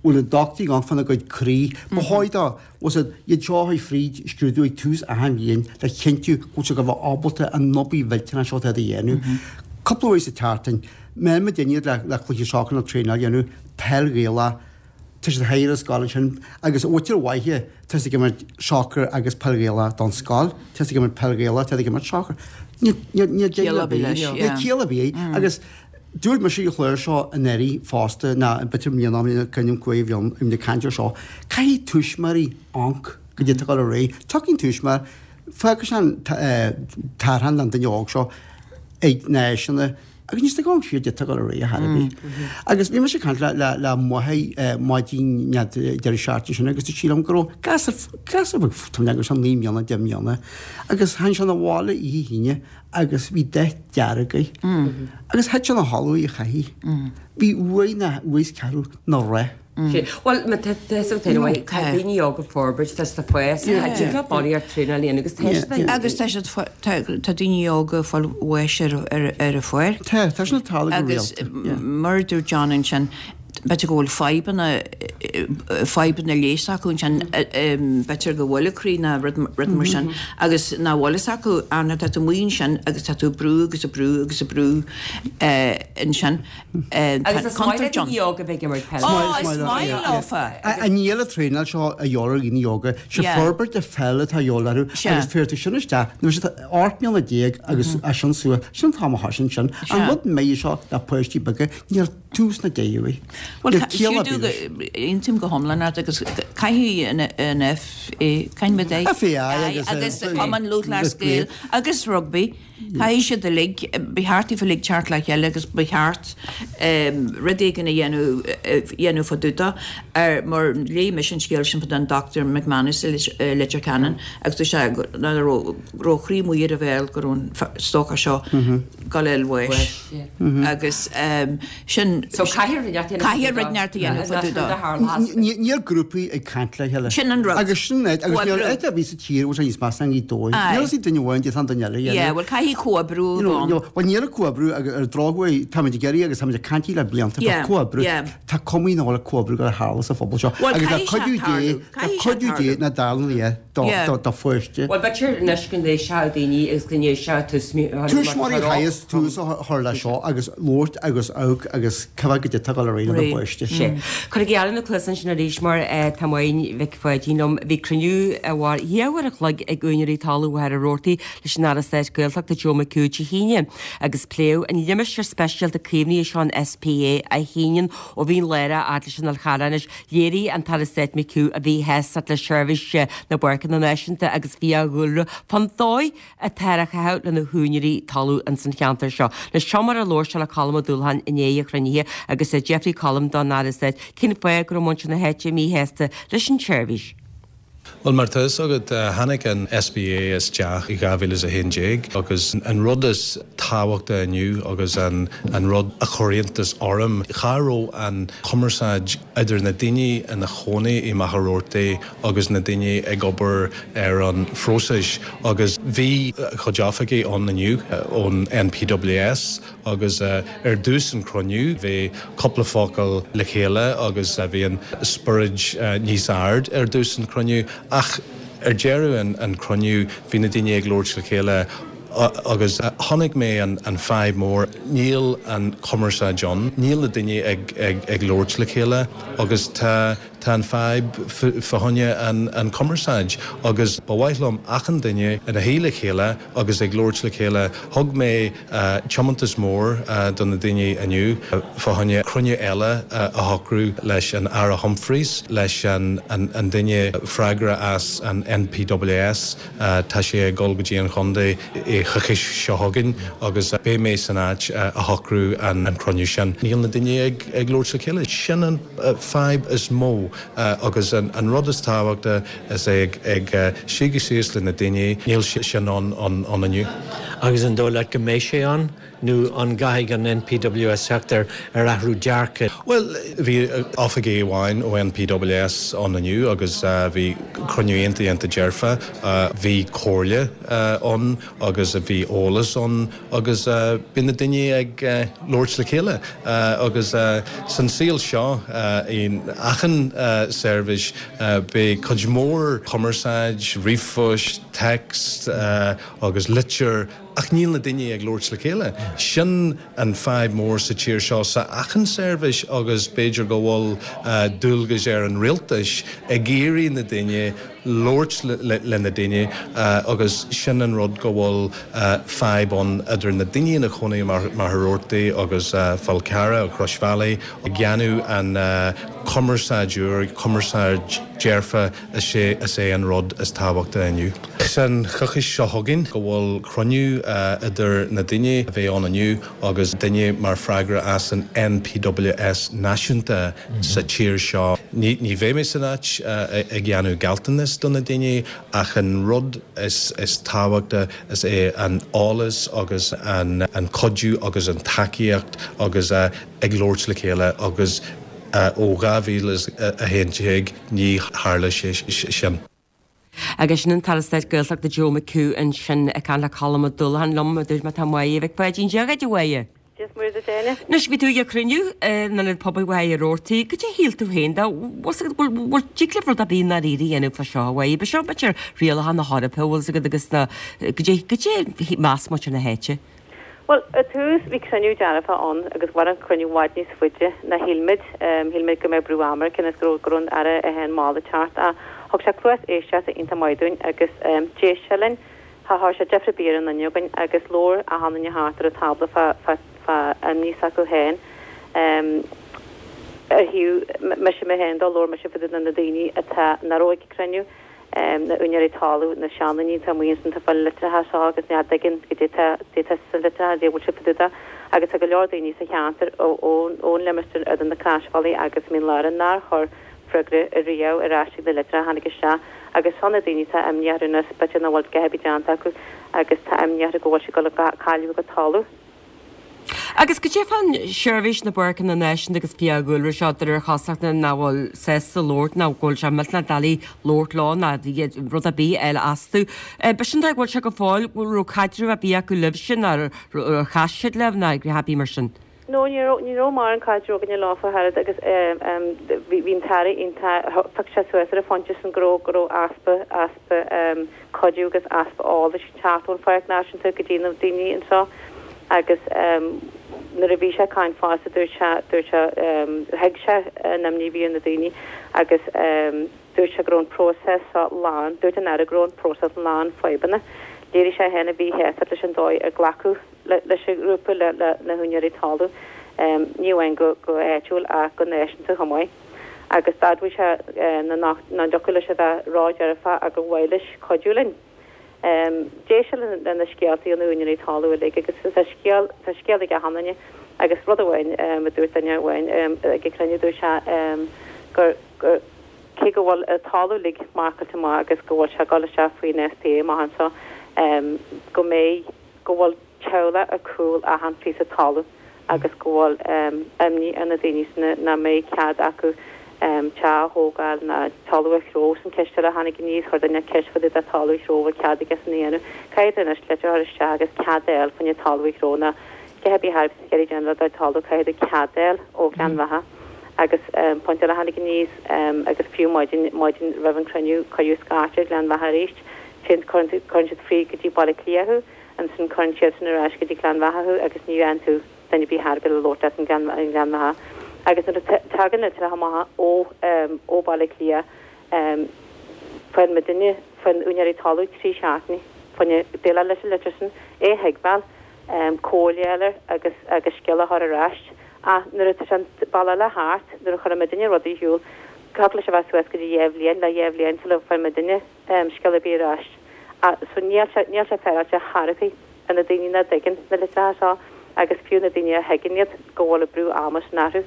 Speaker 2: bhfuil na dochtúirí ag amharc fána gcuid croí. Ba chóir dó, bhfuil siad, iad seo a chuir fríd scrúdú ag tús achan bhliain le chinntiú go bhfuil siad go bheith ábalta an obair mhillteanach seo atá a dhéanamh. Cúpla uair sa tseachtain, má muid iad le, le cluiche soccer nó traenáil a dhéanamh, peil Ghaelach, tá siad thiar ar scoil ansin agus mhuintir mhaithe, tá siad ag imirt soccer agus peil Ghaelach don scoil, tá siad ag imirt peil Ghaelach, tá siad ag imirt soccer. Níl níl níl
Speaker 3: Ciall
Speaker 2: deireadh
Speaker 3: ar bith leis,
Speaker 2: níl
Speaker 3: yeah.
Speaker 2: ciall ar bith agus dúirt mise an chlár seo anuraidh fosta ná b'fhéidir mbliana ó shin cúig bhliain im ag caint ar seo, caithfidh tuismitheoirí amharc goidé atá ag dul ar aghaidh. Tiocfaidh an tuismitheoir, fágfaidh sé an tarrtháil don duine óg seo ag na áiseanna agus níl siad ag amharc siar goidé atá ag dul ar aghaidh ar chor ar bith. Agus bhí mise ag caint le le le máthair maidin deireadh seachtaine sin agus dúirt sí liom go raibh gasúr gasúr beag tá mé ag naoi mbliana deich mbliana agus tháinig sé 'na bhaile oíche hAoine agus bhí dath dearg air. Agus thit sé 'na chodladh oíche chaithí. Bhí uaidh na uaidh is ceathrú 'na rith.
Speaker 1: Sé. Bhuel, má tá tá so tá anyway, tá daoine óga ag forbairt, tá siad ag fás, tá siad ag barraíocht traenáil a dhéanamh agus tá siad ag-
Speaker 3: Agus tá siad fo- tá tá daoine óga ag fáil bháis ar ar ar an pháirc.
Speaker 2: Tá, tá sin ag tarlú go
Speaker 3: Agus
Speaker 2: rialta. Yeah.
Speaker 3: mar a dúirt John ansin, b'fhéidir go bhfuil fadhbanna fadhbanna leighis acu ansin, b'fhéidir go bhfuil a croí ná rud rud mar sin agus nach bhfuil fhios acu an tá tú amuigh ansin agus tá tú ag brú agus ag brú agus ag brú ansin.
Speaker 1: Agus is maith le daoine óga bheith ag imirt peile.
Speaker 3: Ó, is maith leofa.
Speaker 2: Níl an traenáil seo a dhíobháil ar dhaoine óga, sé
Speaker 3: Yeah.
Speaker 2: forbairt a pheil atá a dhíobháil orthu
Speaker 3: Sea.
Speaker 2: agus féar tú sin isteach, nuair siad ocht mbliana déag agus as sin suas, sin an t-am a thosaíonn sin. An
Speaker 3: Sea.
Speaker 2: rud méithe seo le páistí beaga, níl tús ná deireadh uaidh.
Speaker 3: Well,
Speaker 2: Níl ciall ar
Speaker 3: siúdú
Speaker 2: bith leis.
Speaker 3: aontaím go hiomlán leat agus caithfidh an an FA, caithfidh muid é?
Speaker 2: FAI agus,
Speaker 3: agus
Speaker 2: eh,
Speaker 3: Cumann Lúthchleas Gael agus rugbaí, caithfidh siad uilig, ba cheart daofa uilig teacht le chéile agus ba cheart rud éigin a dhéanamh dhéanamh fá dtaobh de ar mar léigh mise an scéal sin fá an Dr McManus i Leitir Ceanainn agus dúirt sé go raibh go raibh a chroí amuigh ar a bhéal go raibh an stócach seo ag dul a fháil bháis agus sin
Speaker 1: So caithfidh rud inteacht a dhéanamh.
Speaker 3: Caithfidh rud inteacht a dhéanamh fá dtaobh de.
Speaker 2: Níl grúpaí ag caint le chéile.
Speaker 3: Sin an rud.
Speaker 2: Agus sin é, agus níl áit ar bith sa tír bhfuil sé níos measa ná Gaoth Dobhair. Níl fhios ag duine amháin déanann duine eile a dhéanamh.
Speaker 3: Yeah, bhuel caithfidh comhoibriú a bheith ann.
Speaker 2: Bhuel níl comhoibriú agus ar drochuair táimid ag iarraidh agus táimid ag caint le blianta fá comhoibriú. Tá cuma nach bhfuil comhoibriú ag tarlú sa phobal seo.
Speaker 3: Bhuel
Speaker 2: Agus le
Speaker 3: caithfidh sé
Speaker 2: cuidiú Dé,
Speaker 3: tarlú,
Speaker 2: le
Speaker 3: caithfidh sé
Speaker 2: cuidiú Dé
Speaker 3: tarlú.
Speaker 2: na dálanna do do pháiste.
Speaker 1: Bhuel b'fhéidir anois go n-éistfeadh daoine agus go n-éistfeadh
Speaker 2: Tuismitheoirí chaithfeas tús a chur leis seo agus labhairt agus amharc agus cibé go dtitfeadh dul ar aghaidh le do pháiste.
Speaker 1: Sea. Cuir gearradh na cluasa ansin arís mar tá Máire Mhic Pháidín liom. Bhí cruinniú a mhair dhá uair a chloig ag úinéirí talaimh Mhachaire Rabhartaigh leis an Aire Stáit Gaeltachta Joe McHugh Dé hAoine agus pléadh an limistéar speisialta caomhnaithe seo an SPA a shíneann ó Mhín Lárach fhad leis an Fhál Charrach anois. Léirigh an tAire Stáit McHugh a mhíshástacht le seirbhís na bPáirceanna Náisiúnta agus fiadhúlra fán dóigh atá á chaitheamh lena húinéirí talaimh ins an cheantar seo. Anois seo mar a labhair sé le Colm Ó Dúlacháin i ndiaidh an chruinnithe agus d'fhiafraigh Colm don Aire Stáit cén fáth go raibh muintir na háite míshásta leis an tseirbhís.
Speaker 5: Well mar tá fhios agat tháinig an SPA isteach i dhá mhíle is a haon déag agus an rud is tábhachta inniu agus an an rud a chuir iontas orm, cha raibh an chumarsáid idir na daoine ina chónaí i Machaire Rabhartaigh agus na daoine ag obair ar an phróiseas agus bhí cuid oifigigh ann inniu ón NPWS agus ar dtús an cruinniú bhí cúpla focal le chéile agus bhí an spiorad níos ard ar dtús an cruinniú ach ar deireadh an, an cruinniú bhí na daoine ag labhairt le chéile agus chonaic mé an, an fadhb mór níl an cumarsáid ann, níl na daoine ag, ag, ag labhairt le chéile agus tá tá an fadhb fá choinne an, an cumarsáid agus ba mhaith liom achan duine ina shuí le chéile agus ag labhairt le chéile thug mé uh, tiomantas mór uh, do na daoine inniu fá choinne cruinniú eile uh, a shocrú leis an Aire Humphreys leis an, an, an duine freagra as an NPWS uh, tá sé ag dul go dtí an chontae i choicís seo chugainn agus beidh mé san áit uh, a shocrú an, an cruinniú sin. Níl na daoine ag, ag labhairt le chéile sin an uh, fadhb is mó uh, agus an, an rud is tábhachta is é ag, ag uh, suí síos le na daoine níl sin an, an, an inniu.
Speaker 6: Agus an dóigh leat go mbeidh sé ann nó an gcaithfidh an NPWS teacht ar ar athrú dearcadh.
Speaker 5: Well, bhí oifigigh amháin ó NPWS ann inniu agus uh, bhí cruinniú iontach iontach dearfa, uh, bhí comhairle uh, ann agus bhí eolas ann agus uh, bhí na daoine ag uh, labhairt le chéile uh, agus uh, san saol seo uh, in achan uh, seirbhís uh, beidh cuid mór cumarsáid, ríomhphost, text uh, agus litir ach níl na daoine ag labhairt le chéile. Sin an fadhb mór sa tír seo sa achan seirbhís agus b'fhéidir go bhfuil uh, dualgas ar an rialtas ag iarraidh na daoine labhairt le, le, le na daoine uh, agus sin an rud go bhfuil uh, fadhb ann idir na daoine ina chónaí mar Machaire Rabhartaigh agus uh, Fál Carrach ó Crois Bhealaigh ag déanamh an uh, cumarsáid úr cumarsáid dearfa is é is é an rud is tábhachta inniu. San choicís seo chugainn go bhfuil cruinniú uh, idir na daoine a bhí ann inniu agus duine mar freagra as an NPWS náisiúnta mm -hmm. sa tír seo. Ní, ní bheidh mé san áit uh, ag déanamh gealltanas do na daoine ach an rud is, is tábhachta is é an eolas agus an, an cuidiú agus an tacaíocht agus uh, ag labhairt le chéile agus uh, ó dhá mhíle a haon déag ní tharla sé sin.
Speaker 1: Agus sin an tAire Stáit Gaeltachta Joe McHugh ansin ag caint le Colm Ó Dúlacháin liom dúirt má tá Máire Mhic Pháidín Dia dhuit a Mháire.
Speaker 4: Dia is Muire duit Áine.
Speaker 1: Anois bhí tú ag cruinniú in ionad pobail Mhachaire Rabhartaigh, goidé a shíl tú féin de bhfuil dtig libh rud ar bith dáiríre a dhéanamh fá seo a Mháire, ba seo b'fhéidir rialacha na hEorpa bhfuil agat agus na goidé goidé meas muintir na háite.
Speaker 4: Well, i tús bhí cruinniú dearfa ann agus mhair an cruinniú i bhfad níos faide ná shíl muid shíl muid go mbeadh brú ama cinn is go raibh an Aire é féin mall ag teacht ach thug sé cluas éisteachta iontach maith dúinn agus d'éist sé linn cha chuir sé deifir ar bith ar an duine againn agus labhair achan duine thart ar an tábla fá fá fá imní s'acu féin ar thaobh mise mé féin do labhair mise fá dtaobh de na daoine atá nach raibh ag an cruinniú na úinéirí talaimh, na seandaoine atá amuigh ansin atá ag fáil na litreacha seo agus ní thuigeann goidé tá goidé tá sa litreacha, goidé a bhfuil sé fá dtaobh de agus tá go leor daoine sa cheantar ón limistéar idir na Croisbhealaí agus Mín Lárach nár chuir freagra ariamh ar ais ag na litreacha a tháinig isteach agus seo na daoine atá imní orthu anois b'fhéidir nach bhfuil a dhath ar bith déanta acu agus tá imní orthu go bhfuil siad ag dul a cailleadh a gcuid talamh.
Speaker 1: Agus cad é fán Seirbhís na bPáirceanna Náisiúnta agus Fiadhúlra seo de réir cosúlachta nach bhfuil sásta labhairt nó go bhfuil sé millteanach doiligh labhairt leo ná rud ar bith eile astu. B'shin go bhfuil sé go fóill bhfuil raibh caidreamh ar bith acu libhse nó ar chas siad libh ná happy mar sin.
Speaker 7: No, ní raibh ní raibh mórán caidreamh againne leofa thar agus bhí an tAire thug sé suas ar an phointe sin go raibh go raibh easpa easpa cuidiú agus easpa eolais ag teacht ón Pháirc Náisiúnta go dtí na daoine anseo agus nuair a bhí sé ag caint fosta dúirt sé dúirt sé thuig sé an imní a bhí ar na daoine agus dúirt sé go raibh an próiseas seo lán dúirt an Aire go raibh an próiseas lán fadhbanna. Léirigh sé féin a mhíshástacht leis an dóigh ar glacadh leis an ghrúpa le na húinéirí talún, ní amháin go háitiúil ach go náisiúnta chomh maith. Agus d'admhaigh sé nach dtiocfadh leis a bheith ródhearfach ach gur mhaith leis cuidiú linn. D'éist sé le na scéaltaí ó na húinéirí talún uilig agus tá scéal tá scéal ag achan duine agus rud amháin a dúirt duine amháin ag an cruinniú dúirt sé gur gur cé go bhfuil an talamh uilig marcáilte amach agus go bhfuil sé ag dul isteach faoin SPA amach anseo go mbeidh go bhfuil teaghlach ar cúl achan phíosa talamh agus go bhfuil imní ar na daoine sin nach mbeidh cead acu teach a thógáil ná talamh a chró sin ceist eile a tháinig aníos chuir duine ceist fá dtaobh de talamh a chró bhfuil cead aige sin a dhéanamh caithfidh tú anois litir a chur isteach agus cead a fháil fá choinne talamh a chró ná cé bith thar a déanamh le do talamh caithfidh tú cead a fháil ó Ghleann Bheatha agus pointe eile a tháinig aníos agus fiú maidin maidin roimh an cruinniú cuireadh scairt ar Ghleann Bheatha arís téann cuireann siad fríd go dtí Baile Átha Cliath thú ansin cuireann siad sin ar ais go dtí Gleann Bheatha thú agus ní fhaigheann tú duine ar bith thar le labhairt leat in Gleann Bheatha agus nuair a tagann litreacha amach ó ó Baile Átha Cliath faigheann muidinne faigheann úinéirí talamh trí seachtaine fá choinne déileáil leis an litir sin é a thuigbheáil comhairle a fháil air agus agus scéal a chur ar ais ach nuair atá sé an bealach eile thart nuair a chuireann muidinne rudaí ar siúl thiocfadh leis a bheith suas go dtí dhá bhliain le dhá bhliain sula bhfaigheann muidinne scéal ar bith ar ais so níl sé níl sé féaráilte chor ar bith ar na daoine nach dtuigeann na litreacha seo agus fiú na daoine a thuigeann iad go bhfuil an brú ama sin orthu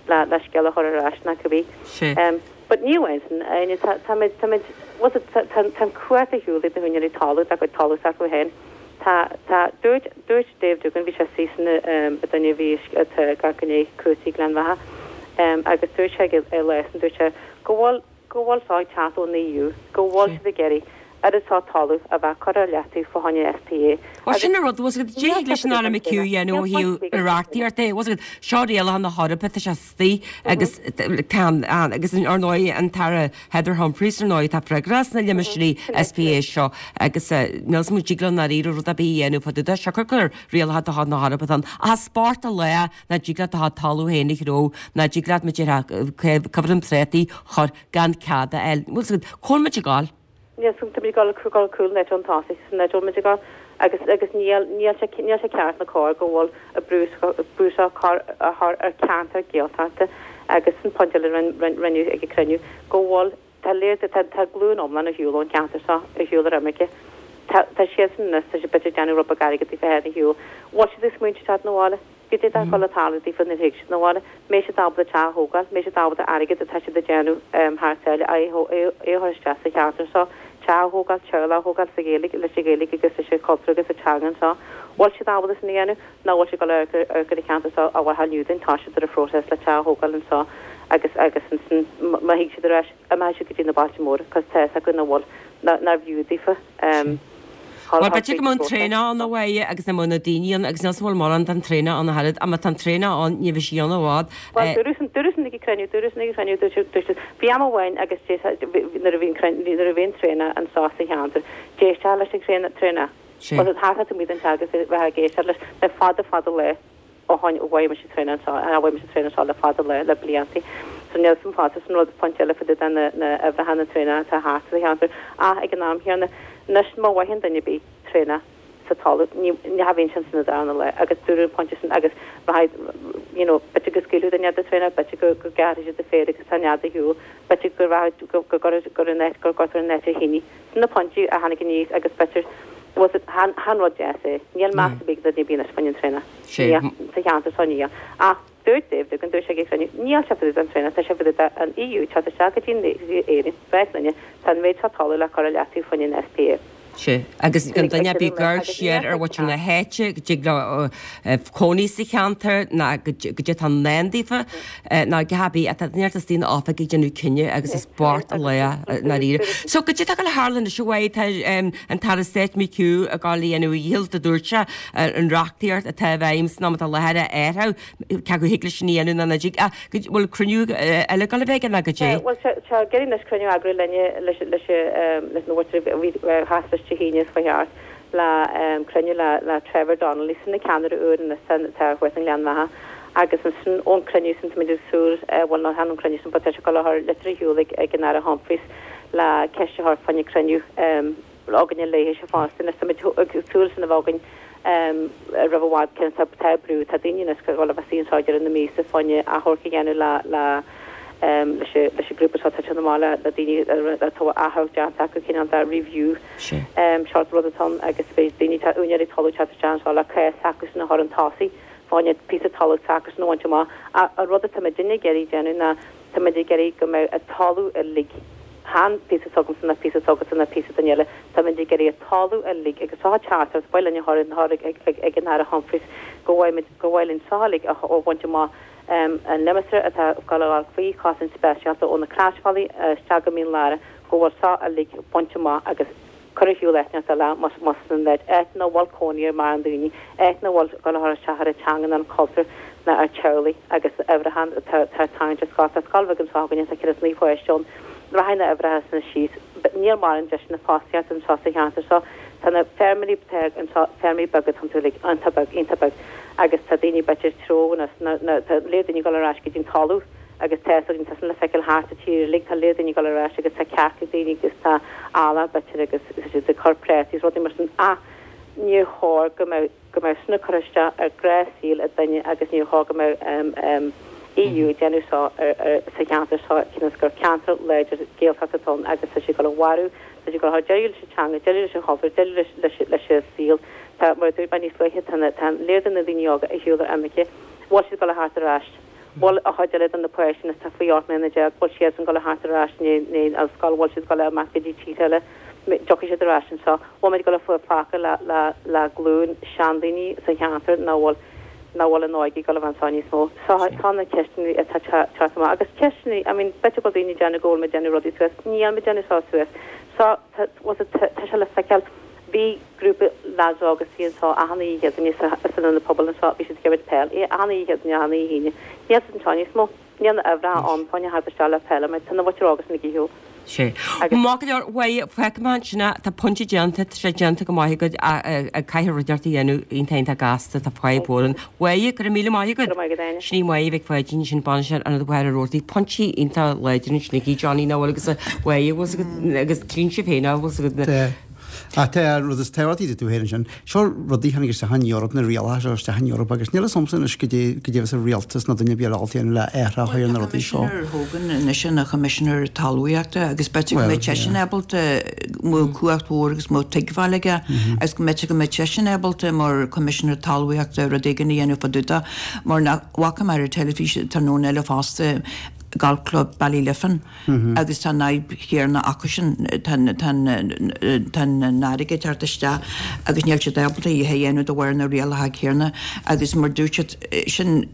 Speaker 7: le le scéal a chur ar ais nach cibé. But ní amháin sin Áine tá tá muid tá muid what's it tá tá an chumhacht ar shiúl ag na húinéirí talamh dá gcuid talamh s'acu féin. Tá tá dúirt dúirt Dave Doogan bhí sé sin an duine a bhí atá gach gné cúrsaí Gleann Bheatha agus dúirt sé ag leis dúirt sé go bhfuil go bhfuil sá ag teacht ón EU go bhfuil siad ag iarraidh oiread seo talamh a bheith curtha ar leataobh fá choinne SPA.
Speaker 1: Well sin an rud was go dtig leis an Aire McHugh a dhéanamh ó thaobh reachtaíocht é was seo rialacha na hEorpa tá sé istigh agus tá agus ar ndóigh an tAire Heather Humphreys ar ndóigh tá freagrach as na limistéirí SPA seo agus níl muid ag leo dáiríre rud ar bith a dhéanamh fá dtaobh de siocair gur rialacha de chuid na hEorpa atá ann. Ach spórt a lá nach dtig leat do chuid talamh féin a chró nach dtig leat muid ar coimhreann préataí chur gan cead a fháil. Bhfuil cá bhfuil muid ag gabháil?
Speaker 7: Níl tá muid ag gabháil gabháil cúl net ón tosaigh san net muid ag gabháil agus agus níl níl sé níl sé ceart ná cóir go bhfuil an brú brú seo chur a chur ar ceantar Gaeltachta agus an pointe eile rinneadh ag an cruinniú go bhfuil tá léir tá tá glúin iomlán ar shiúl ón cheantar seo ar shiúl ar imirce. Tá tá siad san tá sé b'fhéidir déanamh rud beag airgid daofa féin ar shiúl. Bhfuil siad ag smaointiú teacht 'na bhaile? Goidé atá ag dul a tarlú daofa nuair a thig siad 'na bhaile? Mbeidh siad ábalta teach a thógáil, mbeidh siad ábalta airgead atá siad ag déanamh thar sáile é a chur isteach sa cheantar seo, teach a thógáil, teaghlach a thógáil sa Ghaeilge leis an Ghaeilge agus leis an chultúr agus an teanga anseo. Bhfuil siad ábalta sin a dhéanamh nó bhfuil siad ag dul ar ar an cheantar seo a bhfuil inniu den tá siad ar an phróiseas le teach a thógáil anseo agus agus ansin má thig siad ar ais imeoidh siad go dtí na bailte móra cos tá fhios acu nach bhfuil nár bhfiú daofa.
Speaker 1: Well b'fhéidir go mbeadh an traenach ann a mhaith agus na mbeadh na daoine ann agus níl 's bhfuil mórán den traenach ann a oiread ach má tá an traenach ann ní bheidh sí ann i bhfad.
Speaker 7: Well dúradh san dúradh san ag an cruinniú dúradh san ag an cruinniú dúirt dúirt bhí am amháin agus nuair a bhí an nuair a bhí an traenach anseo sa cheantar d'éisteá leis an traenach traenach. Well thart amuigh den teach agus bheith ag éisteacht leis le fada fada le ó tháinig ó bhfuair mise traenach anseo a bhfuair mise traenach anseo le fada le le blianta. So níl san fásta san rud pointe eile fá dtaobh de na na uimhreacha na traenach atá thart sa cheantar ach ag an am chéanna anois má mhaíonn duine ar bith traenach sa talamh ní ní bhíonn sin san darna lá agus dúradh an pointe sin agus rachaidh you know b'fhéidir go scaoilfeadh duine de traenach b'fhéidir go go gceartfaidh siad a féar agus tá nead ar shiúl b'fhéidir go rachaidh go go go gur an áit gur gcuirtear an áit ar thine sin na pointí a tháinig aníos agus b'fhéidir was it chan chan rud deas é níl meas ar bith ag duine ar bith anois fá choinne an traenach sa cheantar seo níl ach dúirt Dave Doogan dúirt sé ag an chruinniú níl sé fá dtaobh den traenach tá sé fá dtaobh de an EU teacht isteach go dtí Éirinn bheith linne tá an méid seo talamh le cur i leataobh fá choinne an SPA.
Speaker 1: Sea, agus gan duine ar bith ag amharc siar ar mhuintir na háite, go dtig leo cónaí sa cheantar, ná goidé atá i ndán daofa, ná a dhath ar bith, ach tá duine inteacht istigh in oifig ag déanamh cinneadh agus is bocht an lá i ndáiríre. So, goidé atá ag gabháil a tharlú anois a Mháire, tá an tAire Stáit McHugh ag gabháil a dhéanamh a dhícheall, a dúirt sé, an reachtaíocht atá i bhfeidhm san am atá i láthair a athrú, cé acu thig leis sin a dhéanamh nó nach dtig, ach bhfuil cruinniú eile ag gabháil a bheith aige nó goidé?
Speaker 7: Bhuel, tá sé ag iarraidh anois cruinniú a eagrú linne, leis leis na mhuintir a bhí theas leis Dé hAoine is ba cheart le cruinniú le le Trevor Donnelly sin an ceannaire úr anois atá thuas i nGleann Bheatha agus ansin ón cruinniú sin táimid ag súil bhuel nó chan ón cruinniú sin but tá sé ag dul a chur litir ar shiúl ag ag an Aire Humphreys le ceist a chur fá choinne cruinniú againne léithe fosta anois táimid ag súil sin a bheith againn roimh i bhfad cionn tá tá brú tá daoine anois ag dul a bheith suí anseo ag deireadh na míosa fá choinne achomharc a dhéanamh le le leis an leis an grúpa seo atá amach le le daoine atá achomharc déanta acu cineál de review sort rud atá ann agus beidh daoine tá úinéirí talaimh teacht isteach anseo le cás s'acusan a chur chun tosaigh fá choinne píosa talaimh s'acusan a bhaint amach ach an rud atá muidinne ag iarraidh déanamh ná tá muid ag iarraidh go mbeidh an talamh uilig chan píosa s'agamsa ná píosa s'agatsa ná píosa duine eile, tá muid ag iarraidh an talamh uilig agus seo teachtaireacht ba mhaith linn a chur ag ag an Aire Humphreys go bhfaighidh muid go mhaith linn seo uilig a bhaint amach an limistéar atá ag dul a ghabháil faoi chosaint speisialta ó na Croisbhealaí isteach go Mín Lárach go bhfuil seo uilig bainte amach agus cur ar shiúl áit inteacht eile más más san áit áit nach bhfuil cónaí ar mórán daoine, áit nach bhfuil dul a chur isteach ar an teanga ná an cultúr ná ar teaghlaigh agus uimhreacha atá atá ag tarraingt ar scoil. Tá scoil bheag anseo againne tá céad is naoi pháiste ann. Rachaidh na huimhreacha sin síos. Níl mórán deiseanna fostaíochta anseo sa cheantar seo. Tá na feirmeoirí atá anseo, feirmeoirí beaga atá iontu uilig, iontach beag, iontach beag agus tá daoine b'fhéidir treo na, na, tá léir daoine ag dul ar ais go dtí an talamh agus tá fhios againn, tá sin le feiceáil thart sa tír uilig, tá léir daoine ag dul ar ais agus tá cearca ag daoine agus tá eallach b'fhéidir agus tá siad ag cur prátaí is rudaí mar sin ach níor chóir go mbeadh, go mbeadh sin ag cur isteach ar ghnáthshaol ag duine agus níor chóir go mbeadh EU ag déanamh seo sa cheantar seo cionn is gur ceantar láidir Gaeltachta atá ann agus tá sé ag dul a mharú, tá sé ag dul a chur deireadh leis an teanga, deireadh leis an chultúr, deireadh leis leis an saol. Tá, mar a dúirt mé níos luaithe, tá na, tá léir de na daoine óga ar shiúl ar imirce, bhfuil siad ag dul a theacht ar ais, bhfuil an chuid eile de na páistí atá faoi ocht mbliana déag, bhfuil siadsan ag dul a theacht ar ais i ndiaidh an scoil, bhfuil siad ag dul a imeacht go dtí tíortha eile, dtiocfaidh siad ar ais anseo, bhfuil muid ag dul a fágáil le le le glúin seandaoine sa cheantar nach bhfuil nach bhfuil an óige ag dul a bheith anseo níos mó. So tá na ceisteanna atá ag teacht amach agus ceisteanna, I mean, b'fhéidir go bhfuil daoine ag déanamh go bhfuil muid ag déanamh rudaí suas, níl muid ag déanamh seo suas. So tá, was it, tá sé le feiceáil, bhí grúpa lads óga istigh anseo achan oíche Chéadaoine sa, san ionad pobail anseo, bhí siad ag imirt peil, achan oíche Chéadaoine, achan oíche Aoine. Níl siad anseo níos mó. Níl na huimhreacha ann, fá choinne theacht isteach le peil, mar tá na mhuintir óga sin ag ar shiúl.
Speaker 1: Sea. Maith go leor, bhuel, fágfaidh mé ansin é, tá pointe déanta, tá sé déanta go maith agat, ag caithfidh rud inteacht a dhéanamh iontach iontach gasta, tá fadhb mhór ann. Bhuel, go raibh míle maith agat.
Speaker 7: Go raibh maith agat, Áine.
Speaker 1: Sin í Máire Mhic Pháidín, sin bainisteoir Ionad Mhachaire Rabhartaigh, pointí iontach láidir ansin aici, Johnny, nach bhfuil agus bhuel, bhfuil 's agat, agus trín sibh féin, nach bhfuil 's agat na.
Speaker 2: Tá. Ach tá an rud is tábhachtaí dúirt tú féin ansin, seo rudaí a tháinig isteach ón Eoraip, na rialacha seo isteach ón Eoraip agus níl a fhios agamsa anois goidé goidé a bheas an rialtas nó duine ar bith eile ábalta a dhéanamh le athrú a chur ar na rudaí seo.
Speaker 3: Tá Coimisinéir Hogan anois ina Choimisinéir Talmhaíochta agus b'fhéidir go mbeadh seisean ábalta go mbeadh cumhacht mhór agus go mbeadh tuigbheáil aige agus go mb'fhéidir go mbeadh seisean ábalta mar Choimisinéir Talmhaíochta rud éigin a dhéanamh fá dtaobh de mar nach bhfaca mé ar an teilifís tráthnóna eile fosta Golf Club Ballyliffin. agus tá an fhadhb chéanna acusan, tá an fharraige ag teacht isteach agus níl siad ábalta a dhath a dhéanamh de bharr na rialacha céanna agus mar dúirt siad sin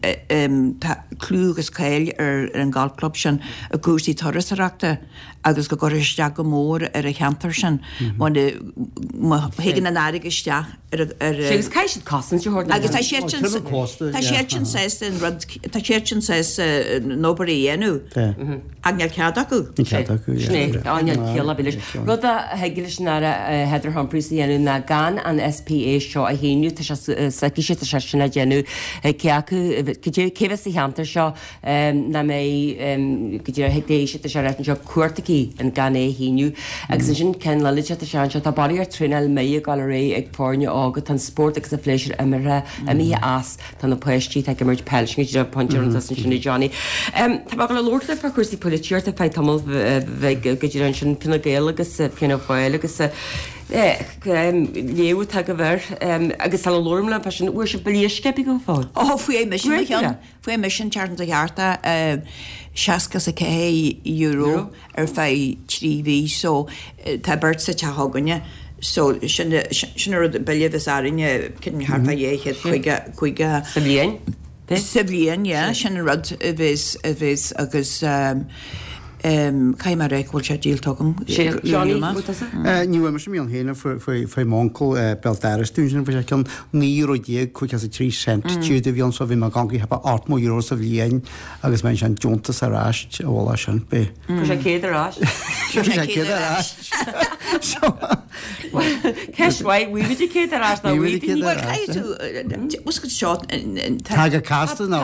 Speaker 3: tá clú agus cáil ar an golf club sin i gcúrsaí turasóireachta agus go gcuirfidh isteach go mór ar an cheantar sin má thagann an fharraige isteach ar ar
Speaker 1: Agus caithfidh siad cosaint a thabhairt
Speaker 3: Agus tá siad sin tá siad sin sásta an rud tá siad sin sásta an obair a dhéanamh ach níl cead acu.
Speaker 2: Níl cead acu,
Speaker 1: Sin é, á níl ciall ar bith leis. Rud a thig leis an Aire Heather Humphreys a dhéanamh ná gan an SPA seo a shíniú, tá sé s'aici, tá sé sin á déanamh cé acu, cé a bheas sa cheantar seo nach mbeidh go díreach ag éisteacht leis an ráiteas seo cumhacht aici an gan é a shíniú. Agus ansin ceann eile de, tá sé anseo, tá barraíocht traenáil méith ag dul ar aghaidh ag foirne óga, tá an spórt agus an phléisiúr imithe, imithe as, tá na páistí atá ag imirt peil, sin go díreach an pointe a rinne tusa ansin a Johnny. Tá mé ag dul a labhairt libh fá chúrsaí polaitíochta ar feadh tamall bheag go díreach ansin, Fine Gael agus Fianna Fáil agus léamh atá agaibh air agus sula labhraím libh fá sin, bhfuair sibh billí uisce ar bith go fóill?
Speaker 3: Ó, fuair mise mo cheann. Fuair mise an tseachtain seo thart é, seasca is a ceathair euro ar feadh trí mhí so tá beirt sa teach againne So sin sin an rud bille bheas orainne cinn thart fá dhá chéad caoga caoga
Speaker 1: Sa bhliain?
Speaker 3: Sa bhliain, yeah, sin an rud a bheas a bheas agus caithfidh mé a rá go bhfuil sé díolta agam.
Speaker 1: Sé Johnny, bhfuil tusa?
Speaker 2: Ní bhfuair mise m'fhionn féin faoi faoi m'uncail béal dorais dúinn sin, bhí sé cionn naoi euro déag cúig is a trí cent siúd a bhí ann so bhí mé ag amharc thart fá ocht mó euro sa bhliain agus mé ansin deontas ar ais a bhfuil sin b'é.
Speaker 1: Fuair sé céad ar ais.
Speaker 2: Fuair sé céad ar ais.
Speaker 1: Ceist mhaith, bhfuair muid céad ar ais nó
Speaker 2: Bhfuair muid céad ar
Speaker 3: Bhuel, caithfidh tú, bhfuil seo,
Speaker 2: Tá go casta nó.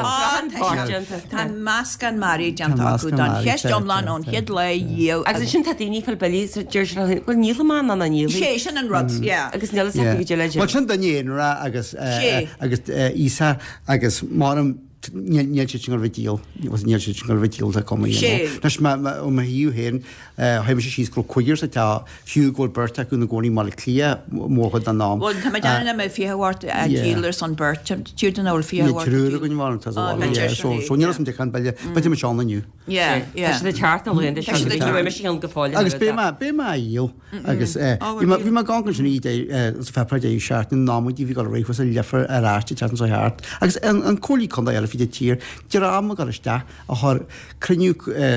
Speaker 3: Tá meascán mearaí déanta acu don cheist iomlán ón chéad lá dhiaidh.
Speaker 1: Agus ansin tá daoine ag fáil billí so deir siad leo féin, bhuel níl mé in ann níl.
Speaker 3: Sé sin an rud, yeah.
Speaker 1: Agus níl fhios acu goidé le
Speaker 2: Bhuel sin duine aonarach agus agus Íosa agus maram níl siad sin ag gabháil a bheith díol, níl siad sin ag gabháil a bheith díolta cuma you know. Anois ó mo thaobh féin, tháinig mise síos go raibh cúigear sa teach, fiú go bhfuil beirt acu ina gcónaí i mBaile Átha Cliath mórchuid den am.
Speaker 3: Bhuel, tá mé ag déanamh nach mbeidh fiche ort a dhíol ar son beirt, tír den bhfuil fiche
Speaker 2: Níl triúr againn mar tá sa bhaile, yeah, so so níl fhios agam cén bille, beidh muid ann inniu.
Speaker 3: Yeah, yeah.
Speaker 1: Tá siad ag teacht na laethanta seo,
Speaker 3: Tá siad ag
Speaker 1: ní bheidh mise ann go fóill.
Speaker 2: Agus beidh mé, beidh mé á dhíol agus bhí mé, bhí mé ag amharc ansin í sa pháipéar deireadh seachtaine, na nóiméidí a bhí ag dul ar aghaidh thuas i Leifear ar ais an tseachtain seo thart agus an an Comhairle Contae eile fríd an tír, dream ag dul isteach a chuir cruinniú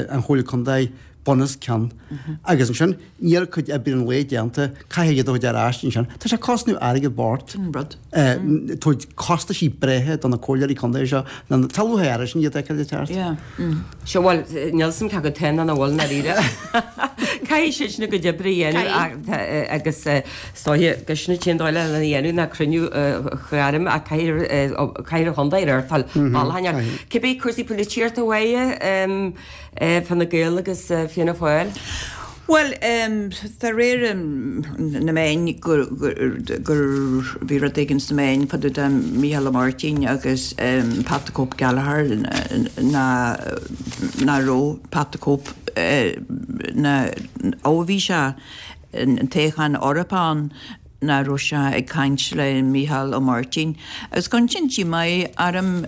Speaker 2: an Chomhairle Contae bun os cionn agus ansin níl cuid oibre an lae déanta, caithfidh iad a thabhairt ar ais ansin. Tá sé ag cosnú airgead bocht.
Speaker 3: Sin rud.
Speaker 2: Tabhairt costaisí breithe do na comhairleoirí contae seo, tá lúcháir air sin iad a fheiceáil ag teacht.
Speaker 3: Yeah.
Speaker 1: Seo bhuel, níl fhios a'm cé acu atá nó nach bhfuil i ndáiríre. Caithfidh siad sin a gcuid oibre a dhéanamh agus is dóiche gur sin an t-aon dóigh lena dhéanamh ná cruinniú a ghairm ach caithfidh an chontae a reáchtáil bailiúcháin air. Cibé cúrsaí polaitíochta uaidh Fine Gael agus Fianna Fáil?
Speaker 3: Bhuel, de réir na meáin gur bhí rud éigin sna meáin fá dtaobh de Mícheál Ó Máirtín agus Pat the Cope Gallagher nach raibh Pat the Cope ná ó bhí sé an toghchán Eorpach ann nach raibh sé ag caint le Mícheál Ó Máirtín. Agus cuireann sin díomá orm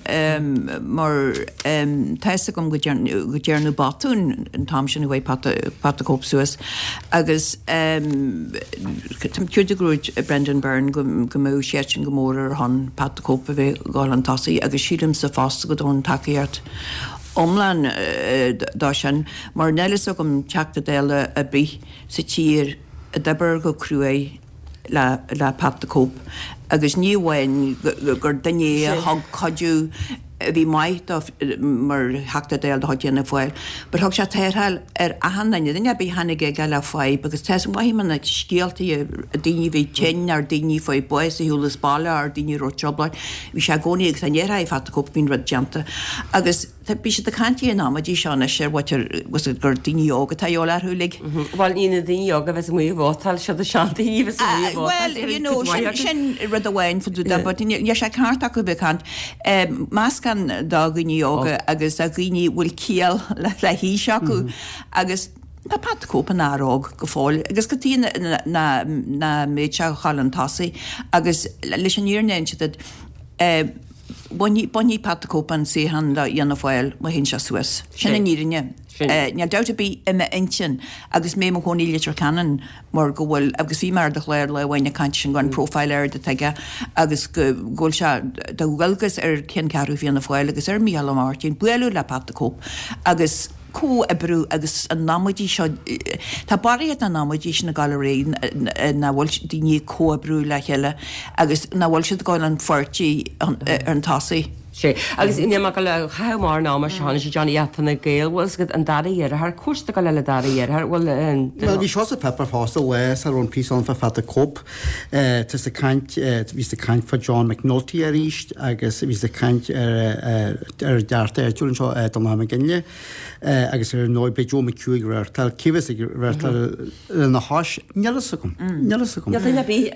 Speaker 3: mar tá fhios agam go ndearnadh botún an t-am sin a chuaigh Pat the Cope suas agus táim cinnte go raibh Brendan Byrne go mbeadh seisean go mór ar shon Pat the Cope a bheith ag dul chun tosaigh agus sílimse fosta go dtabharfainn tacaíocht iomlán dó sin mar níl fhios agam Teachta Dála ar bith sa tír a d'oibir go cruaidh le le Pat the Cope agus ní amháin gur duine é a thug cuidiú a bhí maith dó mar Theachta Dála de chuid Fhianna Fáil but thug sé tarrtháil ar achan duine, duine ar bith a tháinig aige le fadhb agus tá mhaith mé na scéaltaí daoine a bhí tinn ar daoine a fuair bás ar shiúl as baile ar daoine a raibh trioblóid, bhí sé i gcónaí agus dá ndéarfá Pat the Cope bhí an rud déanta agus Tá, bhí siad ag caint ar an amaidí seo anois ar mhuintir, was it gur daoine óga atá a dhíobháil orthu uilig.
Speaker 1: Bhuel, ní na daoine óga a bheas amuigh ag vótáil, siad na seandaoine a bheas amuigh ag vótáil.
Speaker 3: Bhuel, you know, sin, sin rud amháin fá dtaobh de, but níl sé ceart acu a bheith ag caint. Meascán de dhaoine óga agus de dhaoine a bhfuil ciall le haois acu agus tá Pat the Cope ina fhear óg go fóill agus cad chuige nach mbeadh sé ag gabháil chun tosaigh agus leis an fhírinne a inse duit, Bainfidh, bainfidh Pat the Cope an suíochán le Fhianna Fáil má théann sé suas. Sin an fhírinne. Níl dabht ar bith i m'intinn agus mé i mo chónaí i Leitir Ceanainn mar go bhfuil, agus bhí mé ar do chlár lá amháin ag caint sin go an profile ard atá aige agus go bhfuil sé de dhualgas ar cheanncheathrú Fianna Fáil agus ar Mícheál Ó Máirtín bualadh le Pat the Cope agus comhoibriú agus an amaidí seo, tá barraíocht den amaidí sin ag dul ar aghaidh nach bhfuil daoine ag comhoibriú le chéile agus nach bhfuil siad ag dul an pháirtí ar an tosaigh.
Speaker 1: Sé. Agus níl mé ag dul a chaitheamh mórán ama seo anois a Johnny ach Fine Gael, bhfuil fhios agat an dara dheartháir, cúrsa ag dul le dara dheartháir, bhfuil an.
Speaker 2: Bhuel bhí seo sa pháipéar fosta lá sar raibh an píosa ann fá Pat the Cope. Tá siad ag caint, bhí siad ag caint fá John McNulty arís agus bhí siad ag caint ar ar an dteachta áitiúil anseo, Donnchadh Mac Ginlea. Agus ar ndóigh beidh Joe McHugh ag reáchtáil, cé bheas ag reáchtáil lena chois? Níl fhios agam. Níl fhios agam.
Speaker 1: Níl duine ar bith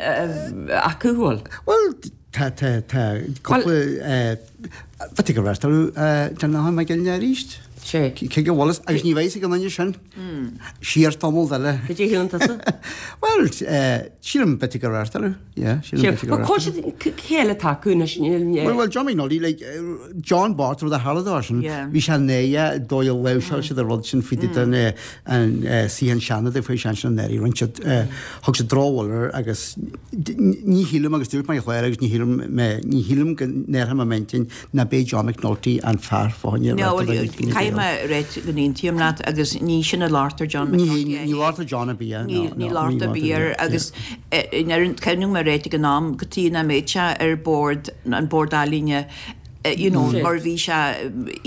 Speaker 1: acu, bhfuil?
Speaker 2: Bhuel, tá, tá, tá cúpla, bheadh ag reáchtáil Donnchadh Mac Ginlea arís.
Speaker 1: Sé.
Speaker 2: Cé go bhfuil agus ní bheidh ag an duine sin. Siar tamall eile.
Speaker 1: Cad é shíleann tusa?
Speaker 2: Well, sílim b'fhéidir go reáchtáladh. Yeah, sílim b'fhéidir go
Speaker 1: Bhuel,
Speaker 2: reáchtáladh.
Speaker 1: cé cé eile atá acu anois?
Speaker 2: Well, well, John McNulty, like, John Bart rud a tharla dó sin, bhí sé néa dóigh a láimhseáil siad an rud sin faoi den an suí an Seanad faoi sean sin an éirí rinne siad thug siad drochbhuille air agus ní shílim agus dúirt mé chléir agus ní shílim mé ní shílim go ndéarfaidh mé m'intinn ná b'é John McNulty an fear fá choinne
Speaker 3: No, well, caithfidh mé a ráit go n-aontaím leat agus ní sin a labhairt ar John McNulty.
Speaker 2: Ní ní labhairt ar John ar bith,
Speaker 3: Ní ní labhairt ar bith air agus cuimhním mé réitigh ag an am go tí nach mbeadh sé ar bord an Bord Ealaíne you know, mar bhí sé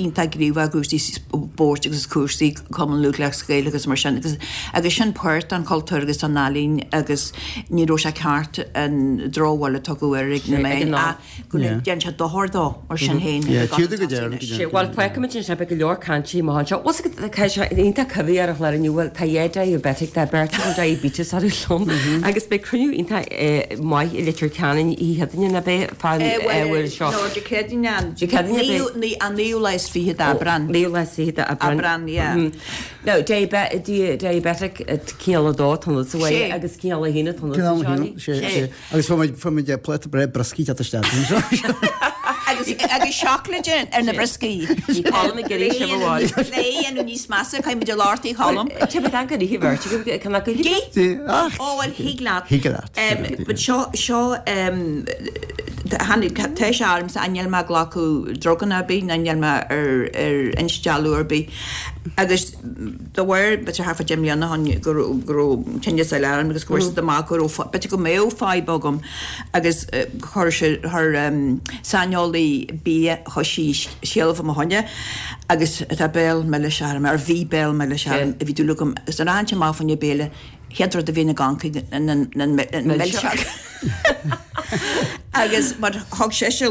Speaker 3: iontach gníomhach i gcúrsaí spóirt agus cúrsaí Cumann Lúthchleas Gael agus mar sin agus agus sin páirt den chultúr agus den ealaín agus ní raibh sé ceart an drochbhuille a tugadh air ag na meáin ach go ndéan sé dochar dó mar sin féin.
Speaker 1: Bhuel, feicimid anseo beidh go leor cainte amach anseo. Bhfuil fhios agat, tá sé iontach cuimhní ar an chlár inniu, bhuel, tá dhá diabetic, tá beirt a bhfuil diabetes orthu liom agus beidh cruinniú iontach maith i Leitir Ceanainn oíche Chéadaoine, nach beidh, fán uair seo.
Speaker 3: No, Dé Céadaoine an
Speaker 1: Dé Céadaoine beidh.
Speaker 3: An naoú lá is fiche d'Aibreán.
Speaker 1: Naoú lá is fiche d'Aibreán.
Speaker 3: Aibreán, yeah.
Speaker 1: Now, diabetic cineál a dó atá ionat sa bhaile agus cineál a haon atá ionat sa Johnny.
Speaker 2: Sé, sé. Agus fuair muid, fuair muid pláta breá brioscaí teacht isteach anseo.
Speaker 3: Agus, agus seacláid ar na brioscaí.
Speaker 1: Bhí Colm ag iarraidh sibh a bhaile.
Speaker 3: Le é a dhéanamh níos measa, caithfidh muid a labhairt í Cholm.
Speaker 1: Tá mé gan go ríthe bheirt agaibh, can I go
Speaker 3: Gí?
Speaker 2: Ach.
Speaker 3: Ó, bhuel, thig leat.
Speaker 2: Thig leat.
Speaker 3: But seo, seo, tháinig, tá sé ormsa, níl mé ag glacadh druganna ar bith, ná níl mé ar, ar instealladh ar bith. Agus de bharr, b'fhéidir thart fá deich mbliana ó shin go raibh, go raibh tinneas eile orm agus go bhfuair siad amach go raibh, b'fhéidir go mbeadh fadhb agam agus chuir sé, chuir saineolaí bia, chuir sí scéala fá mo choinne agus tá béal milis orm, ar bhí béal milis orm, bhí dúil agam, agus nuair a thagann sé amach fá choinne béile, chéad rud a bhíonn ag amharc ná an milseog. Agus mar thug sise,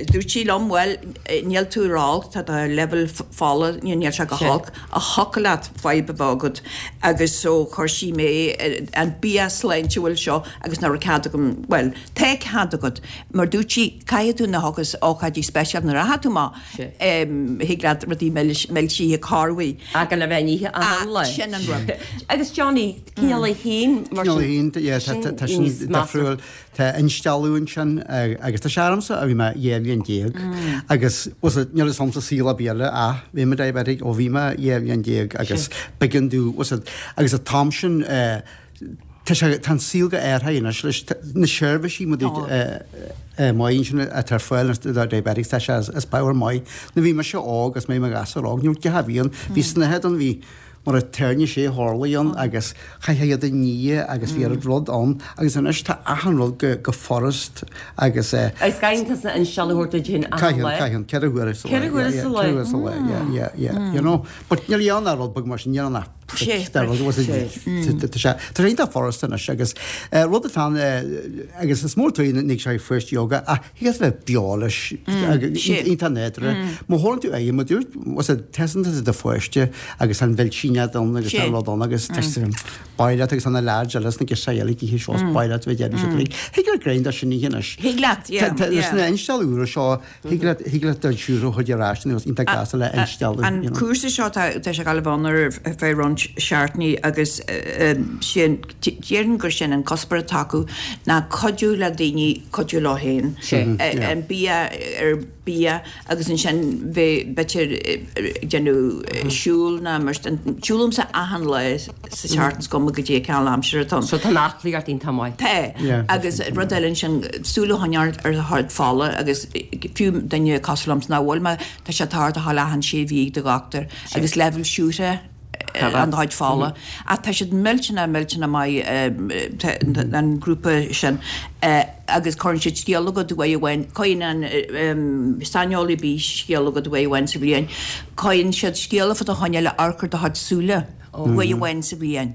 Speaker 3: dúirt sí liom, bhuel, níl tú ró-olc, tá do leibhéal fola, níl sé go holc, ach thiocfadh leat fadhb a bheith agat. Agus so chuir sí mé ar an bia sláintiúil seo agus nach raibh cead agam, bhuel, tá cead agat, mar dúirt sí, caithfidh tú na hocas ócáidí speisialta nuair atá tú maith, thig leat rudaí milsithe corruair.
Speaker 1: Ach gan a bheith in ithe achan lá.
Speaker 3: Sin an rud.
Speaker 1: Agus Johnny, cineál a haon mar
Speaker 2: Cineál a
Speaker 1: sin.
Speaker 2: haon, yeah, tá tá sin difriúil. Tá instealladh ansin agus tá sé ormsa ó bhí mé dhá bhliain déag agus bhfuil fhios níl fhios a'msa saol ar bith eile ach bhí mé diabetic ó bhí mé dhá bhliain déag agus b'éigean domh bhfuil fhios agus an t-am sin tá sé tá an saol go athraithe anois leis na seirbhísí mar maith ansin atá ar fáil do diabetics tá sé is power maith. Nuair a bhí mise óg agus mé i mo ghasúr óg ní raibh deich bhliain bhí snáthaid ann bhí mar a tairne sé horlaí ann agus chaithfeá iad a ní agus bhí an rud ann agus anois tá achan rud go go furast agus eh.
Speaker 1: Agus caitheann tusa instealladh a thabhairt duit féin achan
Speaker 2: Caitheann,
Speaker 1: lá?
Speaker 2: caitheann, ceithre huaire sa lá.
Speaker 1: Ceithre huaire sa lá?
Speaker 2: Ceithre huaire sa lá, yeah, yeah, yeah, you know. But níl ann ach rud beag mar sin, níl ann ach prick de rud, was it, tá sé, tá sé iontach furast anois agus eh rud atá ann eh agus is mór tuí na sé first yoga ach thig leat bheith beo leis agus iontach nádúrtha. Má thabharann tú aghaidh, má dúirt, was it, teastaíonn tú do pháiste agus an mhilsínead ann agus an rud ann agus b'áil leat agus tá na leaids eile sna girseachaí eile ag ithe seo is b'áil leat bheith déanamh siad uilig. Thig leat greim de sin a ithe anois.
Speaker 3: Thig leat, yeah,
Speaker 2: Tá leis
Speaker 3: yeah.
Speaker 2: na instealladh úra seo, thig leat, thig leat do siúr a chuid ar ais nó iontach gasta le instealladh,
Speaker 3: An
Speaker 2: you know.
Speaker 3: cúrsa seo tá tá sé ag gabháil a bheith ann ar feadh roinnt seachtainí agus sin, déarfainn gur sin an cuspóir atá acu ná cuidiú le daoine cuidiú leo féin. An bia ar bia agus ansin bheith b'fhéidir ag déanamh siúl ná mar sin. Siúlaimse achan lá sa tseachtain is cuma goidé cén aimsir atá ann.
Speaker 1: So tá an aclaíocht iontach maith.
Speaker 3: Tá. Agus rud eile ansin, súil a choinneáil ar do chuid fola agus fiú duine cosúil liomsa nach bhfuil mé, tá sé tábhachtach a dhul achan sé mhí ag do dhochtúir agus leibhéal siúcra an do chuid fola. Ach tá siad millteanach, millteanach maith, an grúpa sin, agus cuireann siad scéala agat uair amháin, cuireann an saineolaí bídh scéala agat uair amháin sa bhliain, cuireann siad scéala fá do choinne le amharc ar do chuid súile uair amháin sa bhliain.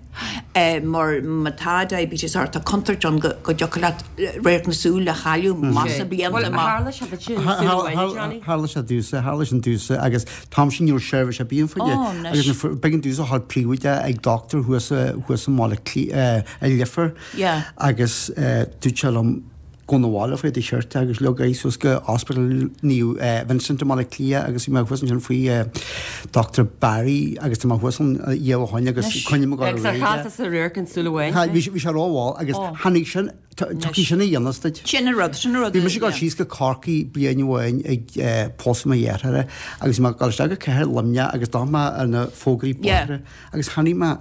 Speaker 3: Mar má tá diabetes ort, tá contúirt ann go dtiocfadh leat radharc na súl a chailleadh más blianta amach.
Speaker 1: Tharla sé duit sin súil amháin, Johnny?
Speaker 2: Tharla sé domhsa, tharla sin domhsa agus t-am sin ní raibh seirbhís ar bith ann fá choinne. Agus b'éigean domhsa a dhul príobháideach ag dochtúir thuas thuas i mBaile Átha Cliath, i Leifear agus dúirt sé liom, Gabh 'na bhaile faoi do shirt agus leag aghaidh suas go Hospital Naomh Vincent i mBaile Átha Cliath agus bhí mé thuas ansin faoi Doctor Barry agus tá mé thuas ann dhá ó shoin agus coinne mo
Speaker 1: Agus ar chás is a radharc an súil amháin.
Speaker 2: Bhí sé rómhall agus tháinig sin, tiocfaidh sin a dhéanamh duit.
Speaker 3: Sin an rud, sin an rud.
Speaker 2: Bhí mise ag dul síos go Corcaigh bliain amháin ag pósadh mo dhearthára agus bhí mé ag dul isteach go cathair Luimneach agus d'fhan mé ar na fógraí bóithre agus chonaic mé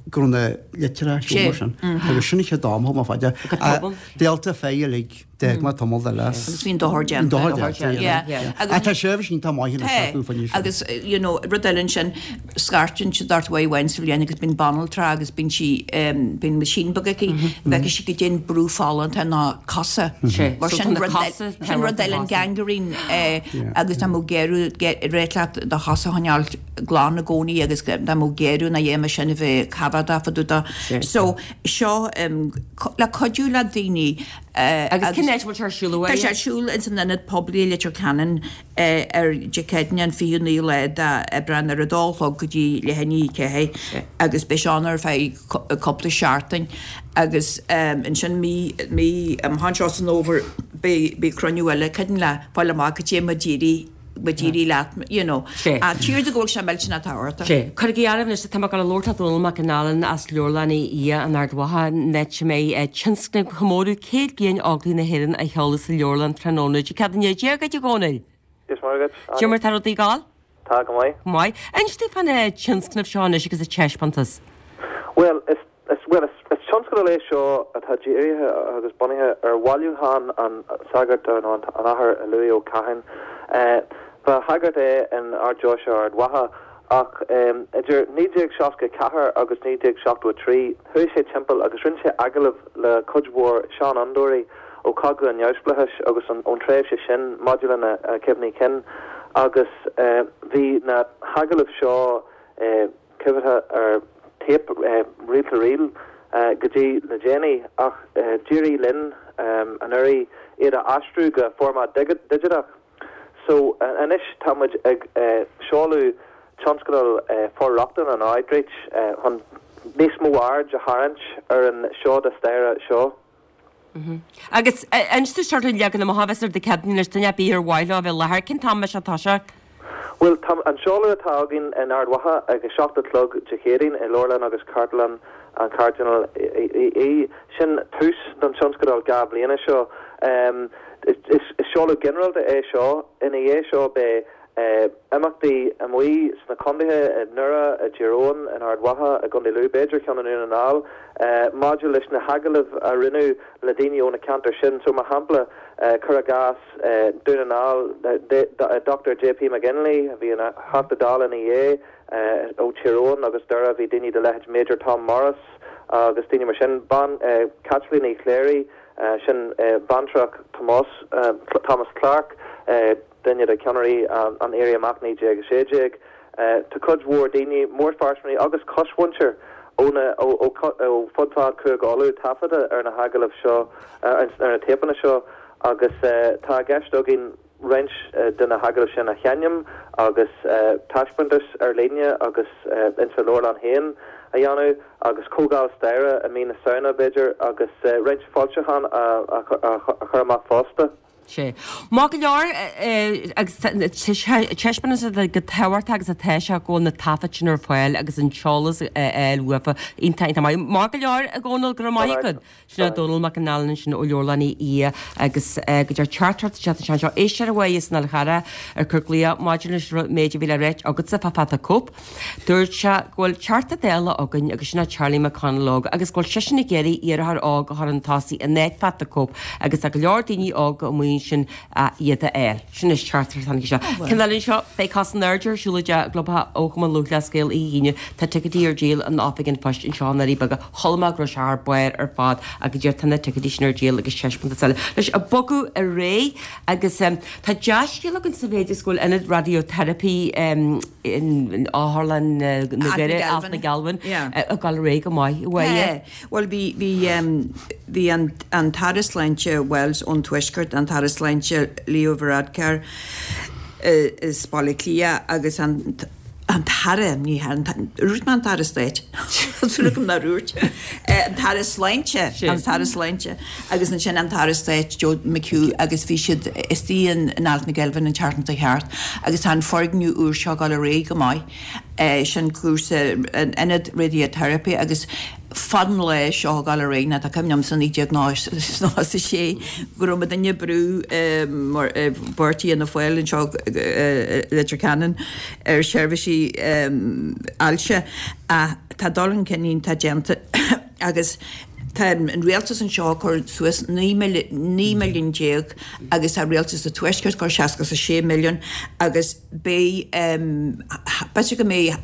Speaker 2: go raibh na litreacha seo mar sin agus sin an chéad am a thug mé faoi deara. Delta Phi uilig, d'fhág mé tamall eile.
Speaker 3: Agus bhí an dochar déanta.
Speaker 2: An dochar déanta, yeah. Ach tá seirbhís iontach maith anois acu fá choinne sin.
Speaker 3: Agus, you know, rud eile ansin, scairteann siad ort uair amháin sa bhliain agus bíonn banaltra agus bíonn sí, bíonn machine beag aici, bheadh sí go dtéann brú fola ar na cosa. Mar sin rud sin rud eile an gangrene agus tá mé ag iarraidh réit leat do chosa a choinneáil glan i gcónaí agus tá mé ag iarraidh na dhéanamh sin a bheith coimhéadach fá dtaobh de. So, seo le cuidiú le daoine
Speaker 1: Agus cén áit a bhfuil sé ar siúl
Speaker 3: Tá sé ar siúl ins an Ionad Poiblí i Leitir Ceanainn ar Dé Céadaoine an fichiú naoú lá d'Aibreán ar a dó a chlog go dtí leath i ndiaidh a ceathair agus beidh sé ann ar feadh cúpla seachtain agus ansin mí mí amach anseo san fhómhar beidh beidh cruinniú eile cuimhin le fáil amach cad é mar d'éirigh mar d'éirigh leat you know.
Speaker 1: Sé.
Speaker 3: Ach tír do go bhfuil sé millteanach tábhachtach.
Speaker 1: Sé. Cuirigí áireamh anois, tá mé ag dul a labhairt le Dónall Mac an Ailin as Leabharlann Uí Aodha in Ard Mhacha, an áit a mbeidh tionscnamh chomóradh céad bliain Óglaigh na hÉireann á sheoladh sa leabharlann tráthnóna Dé Céadaoine. Dia dhuit, a Dhónaill.
Speaker 8: Dia is Muire dhuit,
Speaker 1: Cad é mar tá rudaí ag gabháil?
Speaker 8: Tá go maith.
Speaker 1: Go maith. Inis dúinn fán tionscnamh seo anois agus an taispeántas.
Speaker 8: Bhuel, is Is, bhuel, is, is tionscadal é seo atá dírithe agus bunaithe ar bhailiúchán an tsagairt nó an Athar Louis Ó Catháin. Ba shagart é in Ard-Deoise Ard Mhacha ach idir naoi déag seasca a ceathair agus naoi déag seachtó a trí chuaigh sé timpeall agus rinne sé agallaimh le cuid mhór seanfhondúirí ó Chogadh an Neamhspleáchais agus ón tréimhse sin maidir lena chuimhní cinn agus bhí na hagallaimh seo coimhéadtha ar téip reel-to-reel go dtí le déanaí ach d'éirigh linn anuraidh iad a aistriú go formáid digiteach. So anois tá muid ag seoladh tionscadal for-rochtana nó outreach chun níos mó aird a tharraingt ar an seoda staire seo.
Speaker 1: Agus inis dúinn sórt an leagan amach a bheas air Dé Céadaoine anois, duine ar bith ar mhaith leo a bheith i láthair, cén t-am a mbeidh sé ag toiseacht?
Speaker 8: Bhuel, tá an seoladh atá againn in Ard Mhacha ag a seacht a chlog Dé Céadaoin i Leabharlann agus Cartlann an Chairdinéil Uí Aodha. Sin tús don tionscadal dhá bhliana seo. Is seoladh ginearálta é seo. Ina dhiaidh seo beidh imeachtaí amuigh sna contaetha, i nDoire, i dTír Eoghain, in Ard Mhacha, i gContae Lú, b'fhéidir ceann i nDún na nGall, maidir leis na hagallaimh a rinneadh le daoine ó na ceantair sin. So, mar shampla, cuir i gcás, Dún na nGall, Dochtúir J P McGinley, a bhí ina Theachta Dála ina dhiaidh, ó Thír Eoghain agus Doire, bhí daoine de leithéid Major Tom Morris agus daoine mar sin, bean, Caitlín Uí Chléirigh, sin baintreach Thomas, Thomas Clarke, duine de cheannairí an Éirí Amach naoi déag a sé déag. Tá cuid mhór daoine, mórphearsanra agus cosmhuintir ó ó fud fad Chúige Uladh taifeadta ar na hagallaimh seo, ar na téipeanna seo agus tá i gceist againn roinnt de na hagallaimh sin a sheinm agus taispeántas ar líne agus insa leabharlann féin a dhéanamh agus comhdháil staire i mí na Samhna b'fhéidir agus roinnt foilseachán a chur amach fosta.
Speaker 1: Sea. Maith go leor, agus taispeánann sé go tábhachtach agus atá sé go bhfuil na taifid sin ar fáil agus an t-eolas a fháil uafa. Iontach, iontach maith. Maith go leor, a Dhónaill, go raibh maith agat. Sin é Dónall Mac an Ailin ansin ó Leabharlann Uí Aodha agus go deir teachtaireacht isteach anseo, éisteoir uaidh as an Fhál Charrach ag cur glaoch maidir leis an méid a bhí le ráit agatsa fá Phata Cope. Dúirt sé go bhfuil Teachta Dála againn agus sin é Charlie McConalogue agus go bhfuil seisean ag iarraidh iarrthóir óg a chur chun tosaigh in áit Phata Cope agus tá go leor daoine óga amuigh ansin iad a fháil. Sin é teachtaireacht a tháinig isteach. Ceann eile anseo, beidh cos in airde ar siúl i gclubtheach ó Chumann Lúthchleas Gael oíche Aoine. Tá ticéidí ar díol in Oifig an Phoist anseo i nDoirí Beaga. Chuala mé go raibh sé thar barr ar fad ach go deir tá na ticéidí sin ar díol agus taispeántas eile. Anois ag bogadh ar aghaidh agus tá dea-scéal againn sa mhéid is go bhfuil ionad radiotherapy in Otharlann na nDoirí, Ath na Gealbhan, ag dul ar aghaidh go maith uaidh.
Speaker 3: Tá. Bhuel bhí, bhí, bhí an, an tAire Sláinte Wells ón Tuaisceart, an tAire Sláinte Leo Varadkar as Baile Átha Cliath agus an, An tAire, ní an dúirt mé an tAire Stáit, súil agam nár dhúirt, an tAire Sláinte, an tAire Sláinte agus ansin an tAire Stáit Joe McHugh agus bhí siad istigh in in Altnagelvin an tseachtain seo thart agus tá an foirgneamh úr seo ag dul ar aghaidh go maith, sin cúrsa an ionad radiotherapy agus fad an lae seo ag dul ar aghaidh ná tá cuimhne agam sa naoi déag nócha a sé go raibh muidinne ag brú mar i bpáirtí Fhianna Fáil anseo i Leitir Ceanainn ar sheirbhísí ailse ach tá dul chun cinn iontach déanta agus tá an rialtas anseo ag cur suas naoi milliún déag agus tá rialtas an Tuaiscirt ag cur seasca is a sé milliún agus beidh b'fhéidir go mbeidh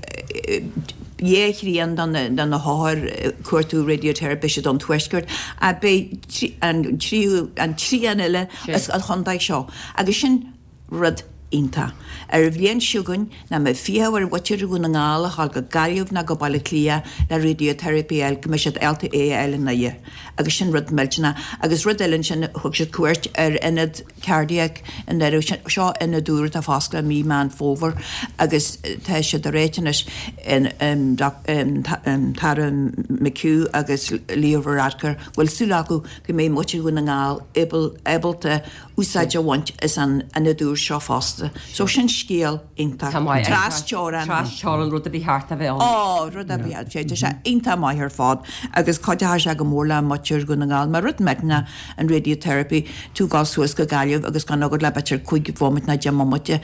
Speaker 3: dhá thrian de na hothair ag cuartú radiotherapy beidh siad ón Tuaisceart ach beidh an tríú an trian eile as an chontae seo agus sin rud iontach. Ar an bhliain seo chugainn nach mbeidh fiacha ar mhuintir Dhún na nGall a ghabháil go Gaillimh ná go Baile Átha Cliath le radiotherapy a fháil go mbeidh siad ábalta é a fháil i nDoire agus sin rud millteanach. Agus rud eile ansin thug siad cuairt ar ionad cardiac i nDoire, seo ionad úr atá fosclaithe mí Meán Fómhair agus tá siad ag ráit anois an tAire McHugh agus Leo Varadkar go bhfuil súil acu go mbeidh muintir Dhún na nGall ábalta úsáid a bhaint as an ionad úr seo fosta. So sin scéal iontach. Tras-teorann.
Speaker 1: Tras-teorann, rud a ba cheart a bheith ann.
Speaker 3: Ó, rud a ba cheart. Tá sé iontach maith ar fad agus cuideoidh sé go mór le muintir Dhún na nGall. Mar rud millteanach an radiotherapy, tú ag dul suas go Gaillimh agus gan agat le b'fhéidir cúig bhomaite nó deich mbomaite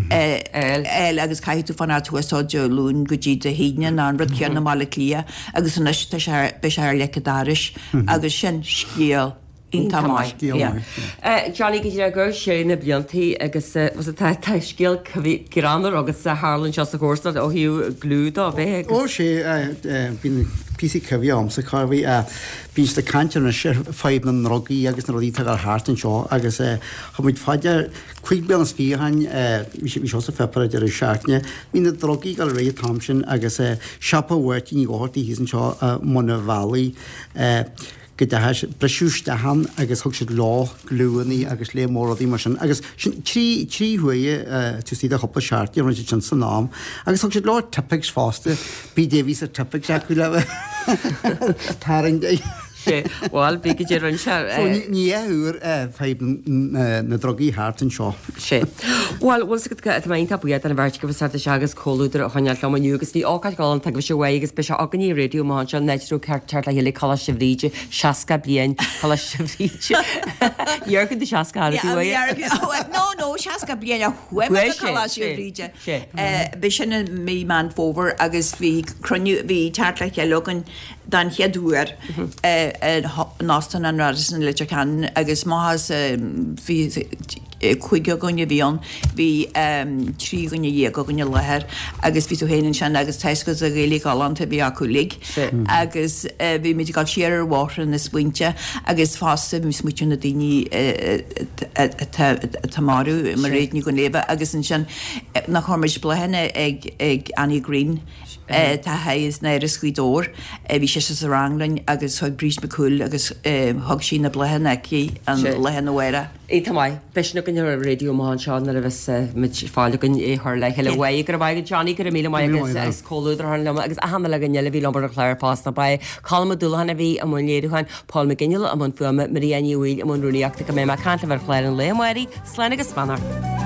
Speaker 3: a fháil agus caithfidh tú fanacht thuas ó Dé Luain go dtí Dé hAoine nó an rud céanna i mBaile Átha Cliath agus anois tá sé, beidh sé ar leic an dorais agus sin scéal iontach maith.
Speaker 1: Johnny, go dtí gur sé na bliantaí agus tá tá scéal greannmhar agus a tharla anseo sa chomharsanacht ó thaobh gliú dó bheith agus.
Speaker 2: Ó sé, bíonn píosaí cuimhne agamsa cá bhí, bíonn siad ag caint anois ar fadhb na ndrugaí agus na rudaí atá ag dul thart anseo agus thug muid fá dear cúig bliana is fiche ó shin, bhí seo sa pháipéar ag deireadh seachtaine, bhí na drugaí ag dul ar aghaidh an t-am sin agus siopa Mháirtín Uí Dhochartaigh thíos anseo i mbun an bhealaigh, go dteachaidh siad, briseadh isteach ann agus thug siad leo gliúannaí agus lear mór rudaí mar sin agus sin trí, trí huaire taobh istigh de chúpla seachtain a rinne siad sin san am agus thug siad leo Tipp-Ex fosta, bhí Davies ar Tipp-Ex acu le tarraingt.
Speaker 1: Sé, bhuel, bhí go dtí rinne sé.
Speaker 2: So ní, ní uair fadhb na ndrugaí thart anseo.
Speaker 1: Sé. Bhuel, bhfuil 's agat go, tá mé iontach buíoch den bheirt agaibh as teacht isteach agus comhluadar a choinneáil liom inniu agus bhí ócáid ghalánta agaibhse uaidh agus beidh sé againne ar raidió amach anseo an áit a raibh ceart teacht le chéile Coláiste Bhríde, seasca bliain Coláiste Bhríde. Níor tú seasca ar tú
Speaker 3: uaidh. No, no, seasca bliain a chuaigh mé go Coláiste Bhríde. Bhí sin i mí Meán Fómhair agus bhí cruinniú, bhí teacht le chéile againn den chéad uair in Óstán an Radisson i Leitir Ceanainn agus amach as bhí cúigear againn a bhí ann, bhí trí dhuine dhéag againn i láthair agus bhí tú féin ansin agus tá 'fhios agat an Ghaeilge ghalánta a bhí acu uilig agus bhí muid ag dul siar ar bhóithre na smaointe agus fosta bhí muid ag smaoitiú ar na daoine atá marbh, Mairéad Ní Dhuinnshléibhe agus ansin nach chuir muid bláthanna ag Annie Green. Tá thigh as Áras Ghaoth Dobhair. Bhí sise sa rang linn agus thug Bríd McCool agus thug sí na bláthanna aici an lá arna mhárach.
Speaker 1: Iontach maith. Beidh sin againn ar an raidió amach anseo nuair a bheas muid fáil againn é a chur le chéile. Uaidh. Go raibh maith agat Johnny, go raibh míle maith agat as comhluadar a chur liom agus achan uile dhuine eile a bhí liom ar an chlár fosta. Ba é Colm Ó Dúlacháin a bhí i mbun léiriúcháin, Paul McGinley i mbun fuaime, Maria Ní Bhaoill i mbun rúnaíochta. Go mbeidh mé ag caint libh ar chlár an lae amárach. Slán agus beannacht.